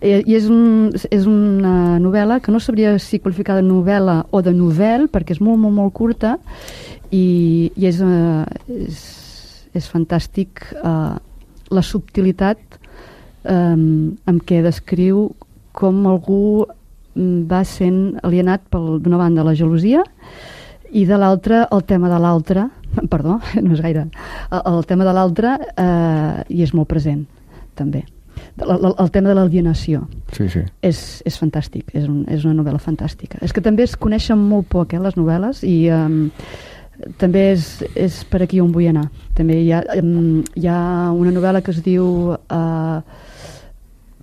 Speaker 3: I, i és, un, és una novel·la que no sabria si qualificar de novel·la o de novel, perquè és molt, molt, molt curta, i, i és, uh, és, és fantàstic uh, la subtilitat um, amb què descriu com algú va sent alienat pel, d'una banda la gelosia i de l'altra el tema de l'altre, perdó, no és gaire, el, el tema de l'altre eh, i és molt present també. El, el, el tema de l'alienació
Speaker 1: Sí, sí.
Speaker 3: és, és fantàstic, és, un, és una novel·la fantàstica. És que també es coneixen molt poc, eh, les novel·les, i um, també és, és per aquí on vull anar. També hi ha, um, hi ha una novel·la que es diu uh,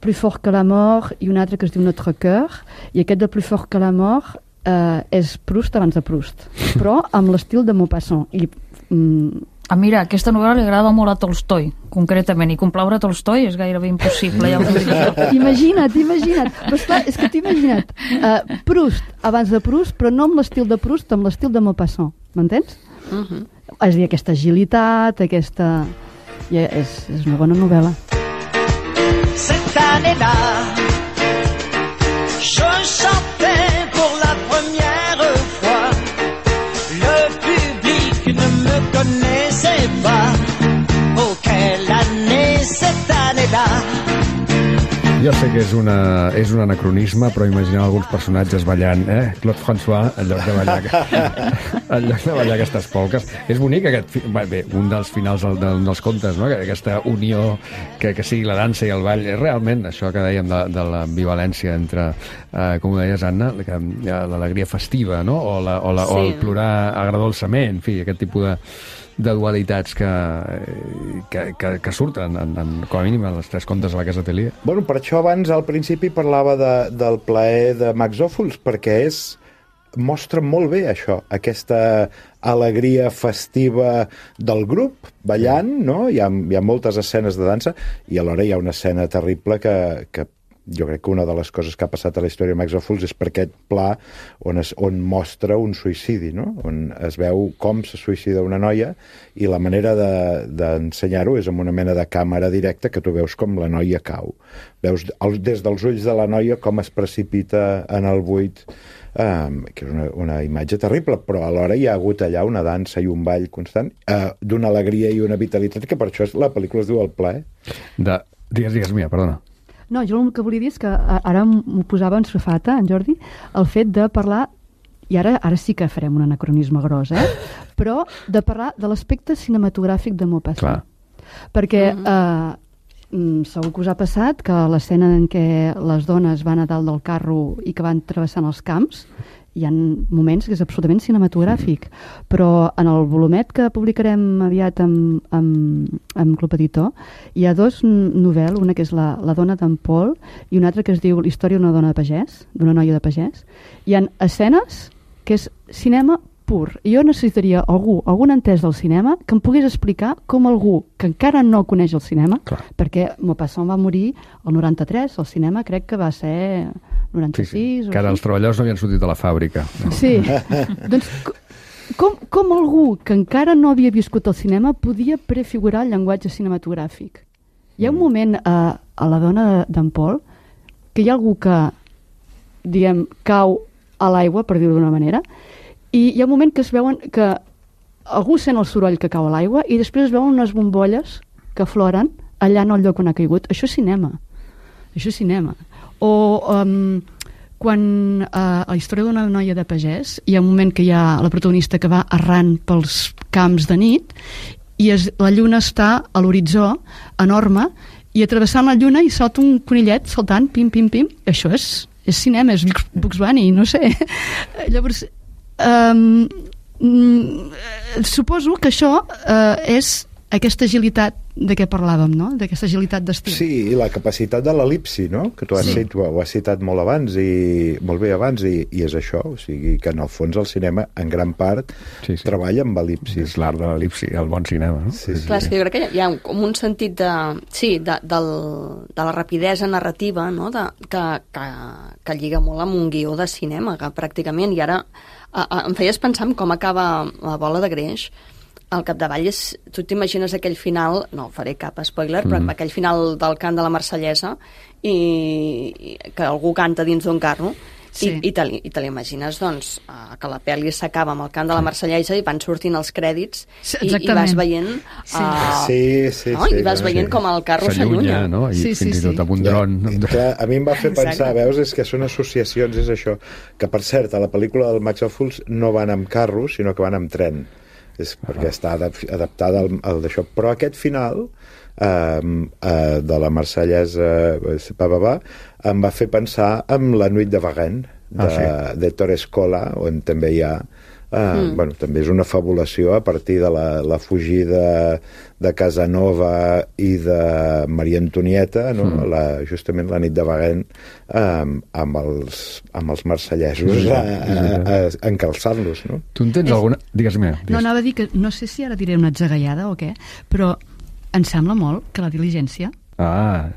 Speaker 3: Plus fort que la mort i una altra que es diu Notre cœur, i aquest de Plus fort que la mort uh, és Proust abans de Proust, però amb l'estil de Maupassant. I um,
Speaker 7: Ah, mira, aquesta novel·la li agrada molt a Tolstoi, concretament, i complaure Tolstoi és gairebé impossible, ja ho dic jo.
Speaker 3: Imagina't, imagina't. Però esclar, és que t'ho imagina't. Uh, Proust, abans de Proust, però no amb l'estil de Proust, amb l'estil de Maupassant. M'entens?
Speaker 6: Uh -huh.
Speaker 3: És a dir, aquesta agilitat, aquesta... Ja és, és una bona novel·la.
Speaker 9: Cette année-là, je chantais pour la première fois. Le public ne me connaissait pas. Oh, quelle année, cette année-là.
Speaker 1: Jo sé que és, una, és un anacronisme, però imagineu alguns personatges ballant, eh? Claude François, en lloc de ballar, en lloc de ballar aquestes polques. És bonic aquest... Bé, un dels finals del, del, dels contes, no? Aquesta unió que, que sigui la dansa i el ball. És realment això que dèiem de, de l'ambivalència entre, eh, com ho deies, Anna, l'alegria festiva, no? O, la, o, la, sí. o el plorar agradolçament, en fi, aquest tipus de... de dualitats que, que, que, que surten, en, en, com a mínim, en els tres contes de la Casa Atelier.
Speaker 4: Bueno, per això abans, al principi, parlava de, del plaer de Max Ophuls, perquè és, mostra molt bé això, aquesta alegria festiva del grup, ballant, no? Hi ha, hi ha moltes escenes de dansa, i alhora hi ha una escena terrible que, que jo crec que una de les coses que ha passat a la història de Max Ophuls és per aquest pla on, es, on mostra un suïcidi, no? On es veu com se suïcida una noia i la manera d'ensenyar-ho de, és amb una mena de càmera directa que tu veus com la noia cau. Veus el, des dels ulls de la noia com es precipita en el buit, um, que és una, una imatge terrible, però alhora hi ha hagut allà una dansa i un ball constant uh, d'una alegria i una vitalitat que per això la pel·lícula es diu El plaer.
Speaker 1: De... Digues, digues, Mia, perdona.
Speaker 3: No, jo el que volia dir és que ara m'ho posava en safata, en Jordi, el fet de parlar, i ara ara sí que farem un anacronisme gros, eh? Però de parlar de l'aspecte cinematogràfic de Maupassant. Perquè eh, segur que us ha passat que l'escena en què les dones van a dalt del carro i que van travessant els camps, hi ha moments que és absolutament cinematogràfic, però en el volumet que publicarem aviat amb, amb, amb Club Editor hi ha dos novel·les, una que és La, la dona d'en Paul i una altra que es diu La història d'una dona de pagès, d'una noia de pagès. Hi ha escenes que és cinema pur. I jo necessitaria algú, algun entès del cinema que em pogués explicar com algú que encara no coneix el cinema, clar, perquè Maupassant va morir el noranta-tres, el cinema crec que va ser noranta-sis... Sí, sí.
Speaker 1: Que ara els treballadors no havien sortit a la fàbrica. No?
Speaker 3: Sí. Doncs com, com algú que encara no havia viscut el cinema podia prefigurar el llenguatge cinematogràfic? Hi ha un moment a, a La dona d'en Paul que hi ha algú que, diguem, cau a l'aigua, per dir-ho d'una manera, i hi ha un moment que es veuen que algú sent el soroll que cau a l'aigua i després es veuen unes bombolles que floren allà en el lloc on ha caigut. Això és cinema. Això és cinema. O um, quan uh, a la història d'una noia de pagès hi ha un moment que hi ha la protagonista que va errant pels camps de nit i es, la lluna està a l'horitzó enorme i travessant la lluna i salta un conillet saltant, pim, pim, pim. Això és, és cinema, és Bugs Bunny, no sé. Llavors, um, mm, suposo que això uh, és aquesta agilitat de què parlàvem, no? D'aquesta agilitat d'estil.
Speaker 4: Sí, i la capacitat de l'elipsi, no? Que tu has, sí. citat, ho has citat molt abans i molt bé abans, i, i és això, o sigui, que en el fons el cinema, en gran part, sí, sí. treballa amb elipsis.
Speaker 1: És l'art de l'elipsi, el bon cinema, no?
Speaker 4: Sí, sí.
Speaker 6: Clar, és que jo crec que hi ha un, com un sentit de, sí, de, del, de la rapidesa narrativa, no? De, que, que, que lliga molt amb un guió de cinema, que pràcticament, i ara a, a, em feies pensar en com acaba La bola de greix. Al capdavall és... Tu t'imagines aquell final... No faré cap spoiler, però mm. aquell final del cant de la Marsellesa i, i que algú canta dins d'un carro sí. i, i te l'imagines, doncs, uh, que la pel·li s'acaba amb el cant de la Marsellesa i van sortint els crèdits sí, i, i vas veient... Uh,
Speaker 4: sí, sí,
Speaker 6: no?
Speaker 4: sí.
Speaker 6: I vas sí, veient sí. com el carro s'allunya.
Speaker 1: No? I sí, fins sí, i tot sí. amb un dron.
Speaker 4: Ja, clar, a mi em va fer pensar, Exacte. veus, és que són associacions, és això, que per cert, a la pel·lícula del Max Ophuls no van amb carro, sinó que van amb tren. És perquè està adaptada al, al d'això. Però aquest final eh, eh, de la Marsellesa eh, em va fer pensar en La nuit de Varenne de, ah, sí. de Torescola, on també hi ha eh, mm. bueno, també és una fabulació a partir de la, la fugida de Casanova i de Maria Antonieta, no? mm. la, justament la nit de Varenne eh, amb, els, amb els marsellesos mm. encalçant-los, no?
Speaker 1: Tu en tens és... alguna... Digues-me. Digues.
Speaker 3: No, anava a dir que no sé si ara diré una atzagaiada o què, però em sembla molt que La diligència
Speaker 1: ah,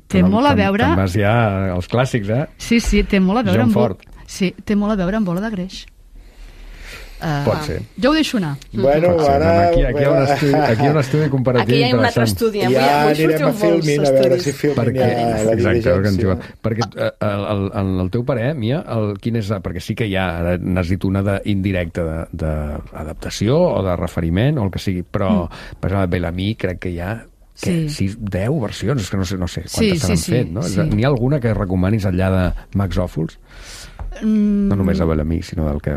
Speaker 3: té molt a veure...
Speaker 1: Te'n vas ja als clàssics, eh?
Speaker 3: Sí, sí, té molt a veure
Speaker 1: amb...
Speaker 3: Ford. Sí, té molt a veure amb Bola de greix. Uh,
Speaker 1: Pot ser.
Speaker 3: Jo ho deixo anar.
Speaker 4: Bueno,
Speaker 1: ser,
Speaker 4: ara...
Speaker 1: Aquí, aquí, hi ha un estudi, aquí hi ha un estudi comparatiu
Speaker 6: aquí hi ha un altre estudi.
Speaker 4: Ja anirem a Filmin a veure si Filmin
Speaker 1: perquè,
Speaker 4: ja la
Speaker 1: diligència. Perquè el, el, el, el teu parer, Mia, el, quin és, perquè sí que hi ha, n'has dit una d'indirecta d'adaptació o de referiment o el que sigui, però mm. per exemple, Bellamy crec que hi ha que,
Speaker 3: Sí.
Speaker 1: sis, deu versions, és que no sé, no sé
Speaker 3: Sí,
Speaker 1: quantes
Speaker 3: sí,
Speaker 1: s'han
Speaker 3: sí,
Speaker 1: fet, no?
Speaker 3: sí.
Speaker 1: N'hi ha alguna que recomanis enllà de Max Ophuls?
Speaker 3: Mm,
Speaker 1: No només de Bellamy, sinó del que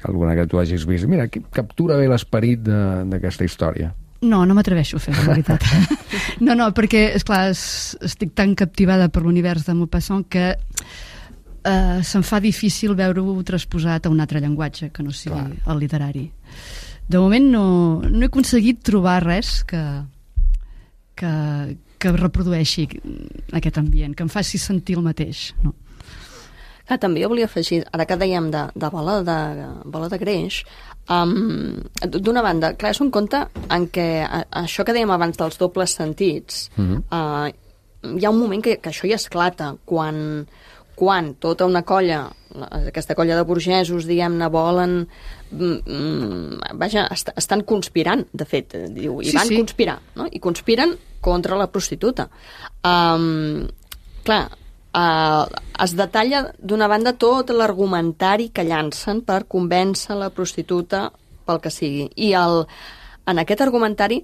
Speaker 1: alguna que tu hagis vist. Mira, que captura bé l'esperit de- d'aquesta història.
Speaker 3: No, no m'atreveixo a fer, la veritat. No, no, perquè, esclar, es, estic tan captivada per l'univers de Maupassant que eh, se'm fa difícil veure-ho transposat a un altre llenguatge que no sigui
Speaker 1: Clar.
Speaker 3: el literari. De moment no, no he aconseguit trobar res que, que, que reprodueixi aquest ambient, que em faci sentir el mateix, no?
Speaker 6: Ah, també jo volia afegir, ara que dèiem de, de bola de, bola de greix, um, d'una banda, clar, és un conte en què a, això que dèiem abans dels dobles sentits,
Speaker 1: Mhm.
Speaker 6: uh, hi ha un moment que, que això ja esclata, quan, quan tota una colla, aquesta colla de burgesos, diguem-ne, volen... Mm, mm, vaja, est estan conspirant, de fet, eh, diu, i
Speaker 3: Sí,
Speaker 6: van
Speaker 3: sí.
Speaker 6: conspirar, no? I conspiren contra la prostituta. Um, clar, Uh, es detalla d'una banda tot l'argumentari que llancen per convèncer la prostituta pel que sigui. I el, en aquest argumentari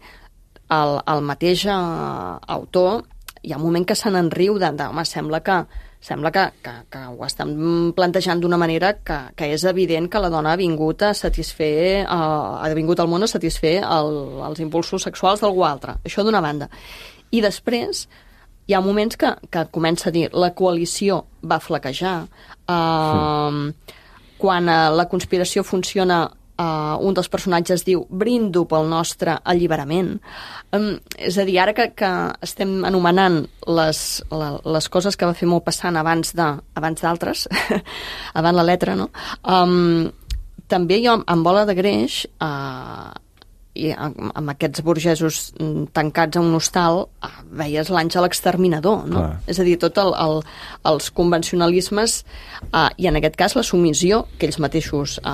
Speaker 6: el, el mateix uh, autor hi ha un moment que se n'enriu de, de home, sembla que sembla que, que, que ho estan plantejant d'una manera que, que és evident que la dona ha vingut a satisfer uh, ha vingut al món a satisfer el, els impulsos sexuals d'algú altre. Això d'una banda. I després hi ha moments que, que comença a dir la coalició va flaquejar, uh, sí. Quan uh, la conspiració funciona, uh, un dels personatges diu brindo pel nostre alliberament. Um, és a dir, ara que, que estem anomenant les, la, les coses que va fer Maupassant abans de, abans d'altres, abans la letra, no? Um, també jo, en Bola de greix, uh, i amb, amb aquests burgesos tancats a un hostal, eh, veies l'Àngel exterminador, no?
Speaker 1: Clar.
Speaker 6: És a dir, tot el, el, els convencionalismes eh, i en aquest cas la submissió que ells mateixos eh,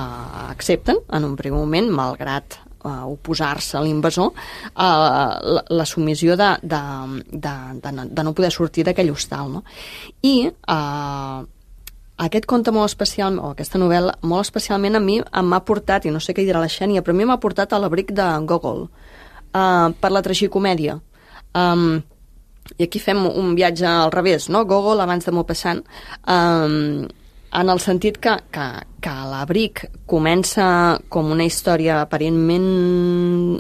Speaker 6: accepten en un primer moment, malgrat eh, oposar-se a l'invasor, eh, la, la submissió de, de, de, de, no, de no poder sortir d'aquell hostal, no? I eh, aquest conte molt especial, o aquesta novel·la, molt especialment a mi m'ha portat, i no sé què dirà la Xènia, però a mi m'ha portat a l'abric de Gogol, uh, per la tragicomèdia. Um, I aquí fem un viatge al revés, no? Gogol abans de Maupassant, um, en el sentit que, que, que l'abric comença com una història aparentment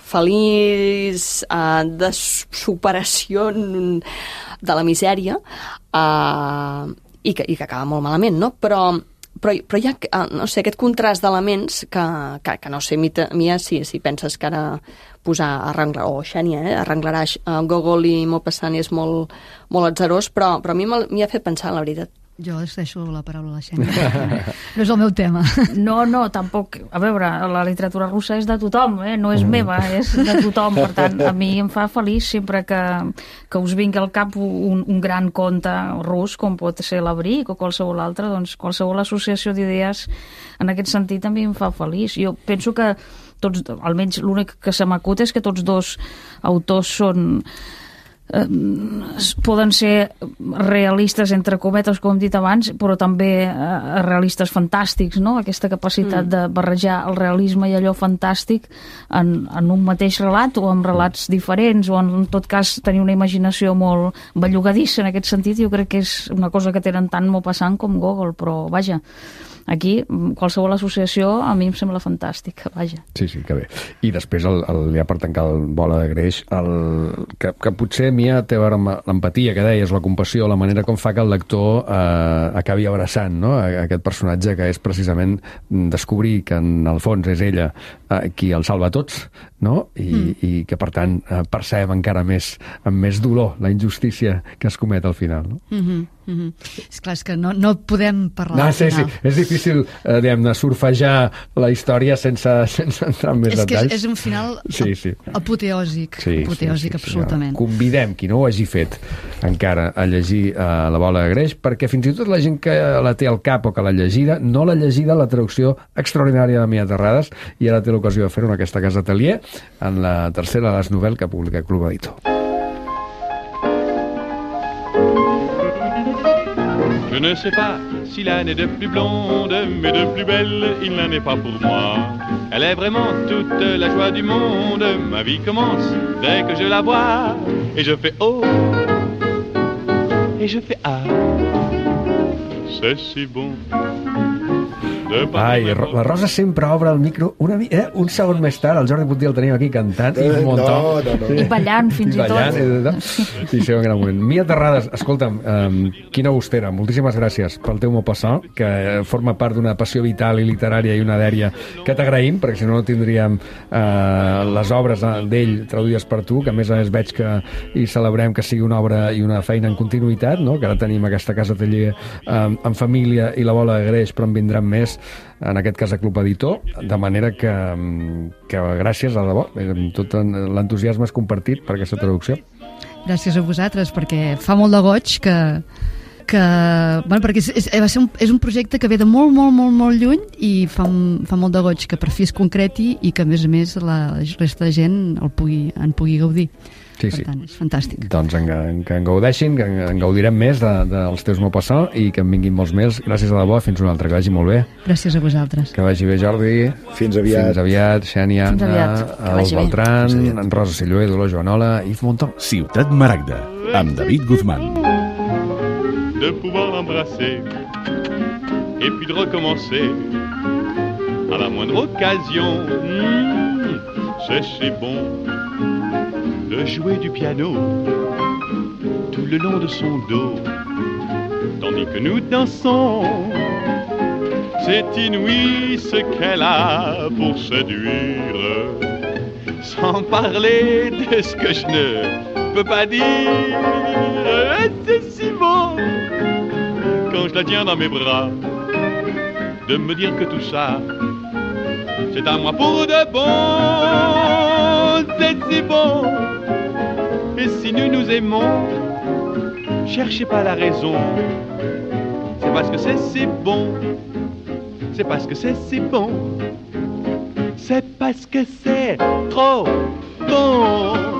Speaker 6: feliç, uh, de superació de la misèria, uh, i que, i que acaba molt malament, no? Però, però, però hi ha, no sé, aquest contrast d'elements que, que, que no sé, Mita, Mia, si, si penses que ara posar, arranglar, o Xènia, eh, arranglarà uh, Gogol i Maupassant és molt, molt atzerós, però, però a mi m'hi ha fet pensar, la veritat.
Speaker 3: Jo es deixo la paraula a la Xènia. No és el meu tema.
Speaker 7: No, no, tampoc. A veure, la literatura russa és de tothom, eh? No és meva, és de tothom. Per tant, a mi em fa feliç sempre que, que us vingui al cap un, un gran conte rus, com pot ser l'Abric o qualsevol altre, doncs qualsevol associació d'idees en aquest sentit també em fa feliç. Jo penso que tots, almenys l'únic que se m'acut és que tots dos autors són... Eh, poden ser realistes entre cometes, com hem dit abans, però també eh, realistes fantàstics, no? Aquesta capacitat mm. de barrejar el realisme i allò fantàstic en, en un mateix relat o en relats diferents, o en, en tot cas tenir una imaginació molt bellugadissa en aquest sentit. Jo crec que és una cosa que tenen tant Maupassant com Gogol, però vaja, aquí qualsevol associació a mi em sembla fantàstica, vaja.
Speaker 1: Sí, sí, que bé. I després, el, el, ja per tancar el Bola de greix, el, que, que potser Mia té a veure amb l'empatia que deies, la compassió, la manera com fa que el lector eh, acabi abraçant, no? Aquest personatge que és precisament descobrir que en el fons és ella eh, qui el salva a tots, no? I, mm. i que per tant eh, percep encara més, amb més dolor la injustícia que es comet al final, no?
Speaker 3: Mm-hmm. Mm-hmm. És clar, és que no, no podem parlar
Speaker 1: no,
Speaker 3: al
Speaker 1: sí,
Speaker 3: final.
Speaker 1: sí, és difícil eh, diguem-ne, surfejar la història sense, sense entrar en més
Speaker 3: és
Speaker 1: detalls.
Speaker 3: Que és un final
Speaker 1: sí, sí.
Speaker 3: apoteòsic,
Speaker 1: sí,
Speaker 3: apoteòsic
Speaker 1: sí, sí,
Speaker 3: absolutament.
Speaker 1: Sí, convidem qui no ho hagi fet encara a llegir eh, La Bola de greix, perquè fins i tot la gent que la té al cap o que l'ha llegida, no l'ha llegida la traducció extraordinària de Mia Terrades, i ara té l'ocasió de fer-ho en aquesta casa atelier, en la tercera de les novel·les que publica Club Editor.
Speaker 10: Je ne sais pas s'il en est de plus blonde, mais de plus belle, il n'en est pas pour moi. Elle est vraiment toute la joie du monde. Ma vie commence dès que je la vois. Et je fais oh, et je fais ah. C'est si bon.
Speaker 1: Ai, la Rosa sempre obre el micro una mi... eh? un segon més tard, el Jordi Puntí el tenim aquí cantant i un muntó.
Speaker 4: No, no, no.
Speaker 7: I ballant, fins i,
Speaker 1: I ballant,
Speaker 7: tot.
Speaker 1: I, i sí, un gran moment. Mia Terrades, escolta'm, um, quina bustera, moltíssimes gràcies pel teu Maupassant, que forma part d'una passió vital i literària i una dèria que t'agraïm, perquè si no no tindríem uh, les obres d'ell traduïdes per tu, que a més a més veig que i celebrem que sigui una obra i una feina en continuïtat, no? Que ara tenim aquesta casa taller um, en família i la bola de greix, però en vindran més, en aquest cas a Club Editor, de manera que, que gràcies, a debò, amb tot l'entusiasme és compartit per aquesta traducció.
Speaker 3: Gràcies a vosaltres, perquè fa molt de goig que, que bueno, perquè és, és, va ser un, és un projecte que ve de molt, molt, molt, molt lluny i fa, fa molt de goig que per fi es concreti i que a més a més la resta de gent el pugui, en pugui gaudir.
Speaker 1: Sí,
Speaker 3: per
Speaker 1: sí.
Speaker 3: tant, és fantàstic.
Speaker 1: Doncs en, en, que en gaudeixin, que en, en gaudirem més de, dels teus Maupassant i que en vinguin molts més. Gràcies a debò, fins una altra, que vagi molt bé.
Speaker 3: Gràcies a vosaltres.
Speaker 1: Que vagi bé, Jordi.
Speaker 4: Fins aviat.
Speaker 1: Fins aviat, Xènia,
Speaker 7: Fins aviat. Que
Speaker 1: el
Speaker 7: vagi bé.
Speaker 1: Beltran, en Rosa Silloé, Dolors Joanola i Yves Montand.
Speaker 2: Ciutat Maragda, amb David Guzmán.
Speaker 10: De pouvoir l'embrasser et puis de recommencer à la moindre occasion. Mmh, c'est si bon de jouer du piano tout le long de son dos tandis que nous dansons. C'est inouï ce qu'elle a pour séduire, sans parler de ce que je ne peux pas dire. C'est si beau quand je la tiens dans mes bras de me dire que tout ça c'est à moi pour de bon. C'est si bon. Et si nous nous aimons, cherchez pas la raison. C'est parce que c'est si bon. C'est parce que c'est si bon. C'est parce que c'est trop bon.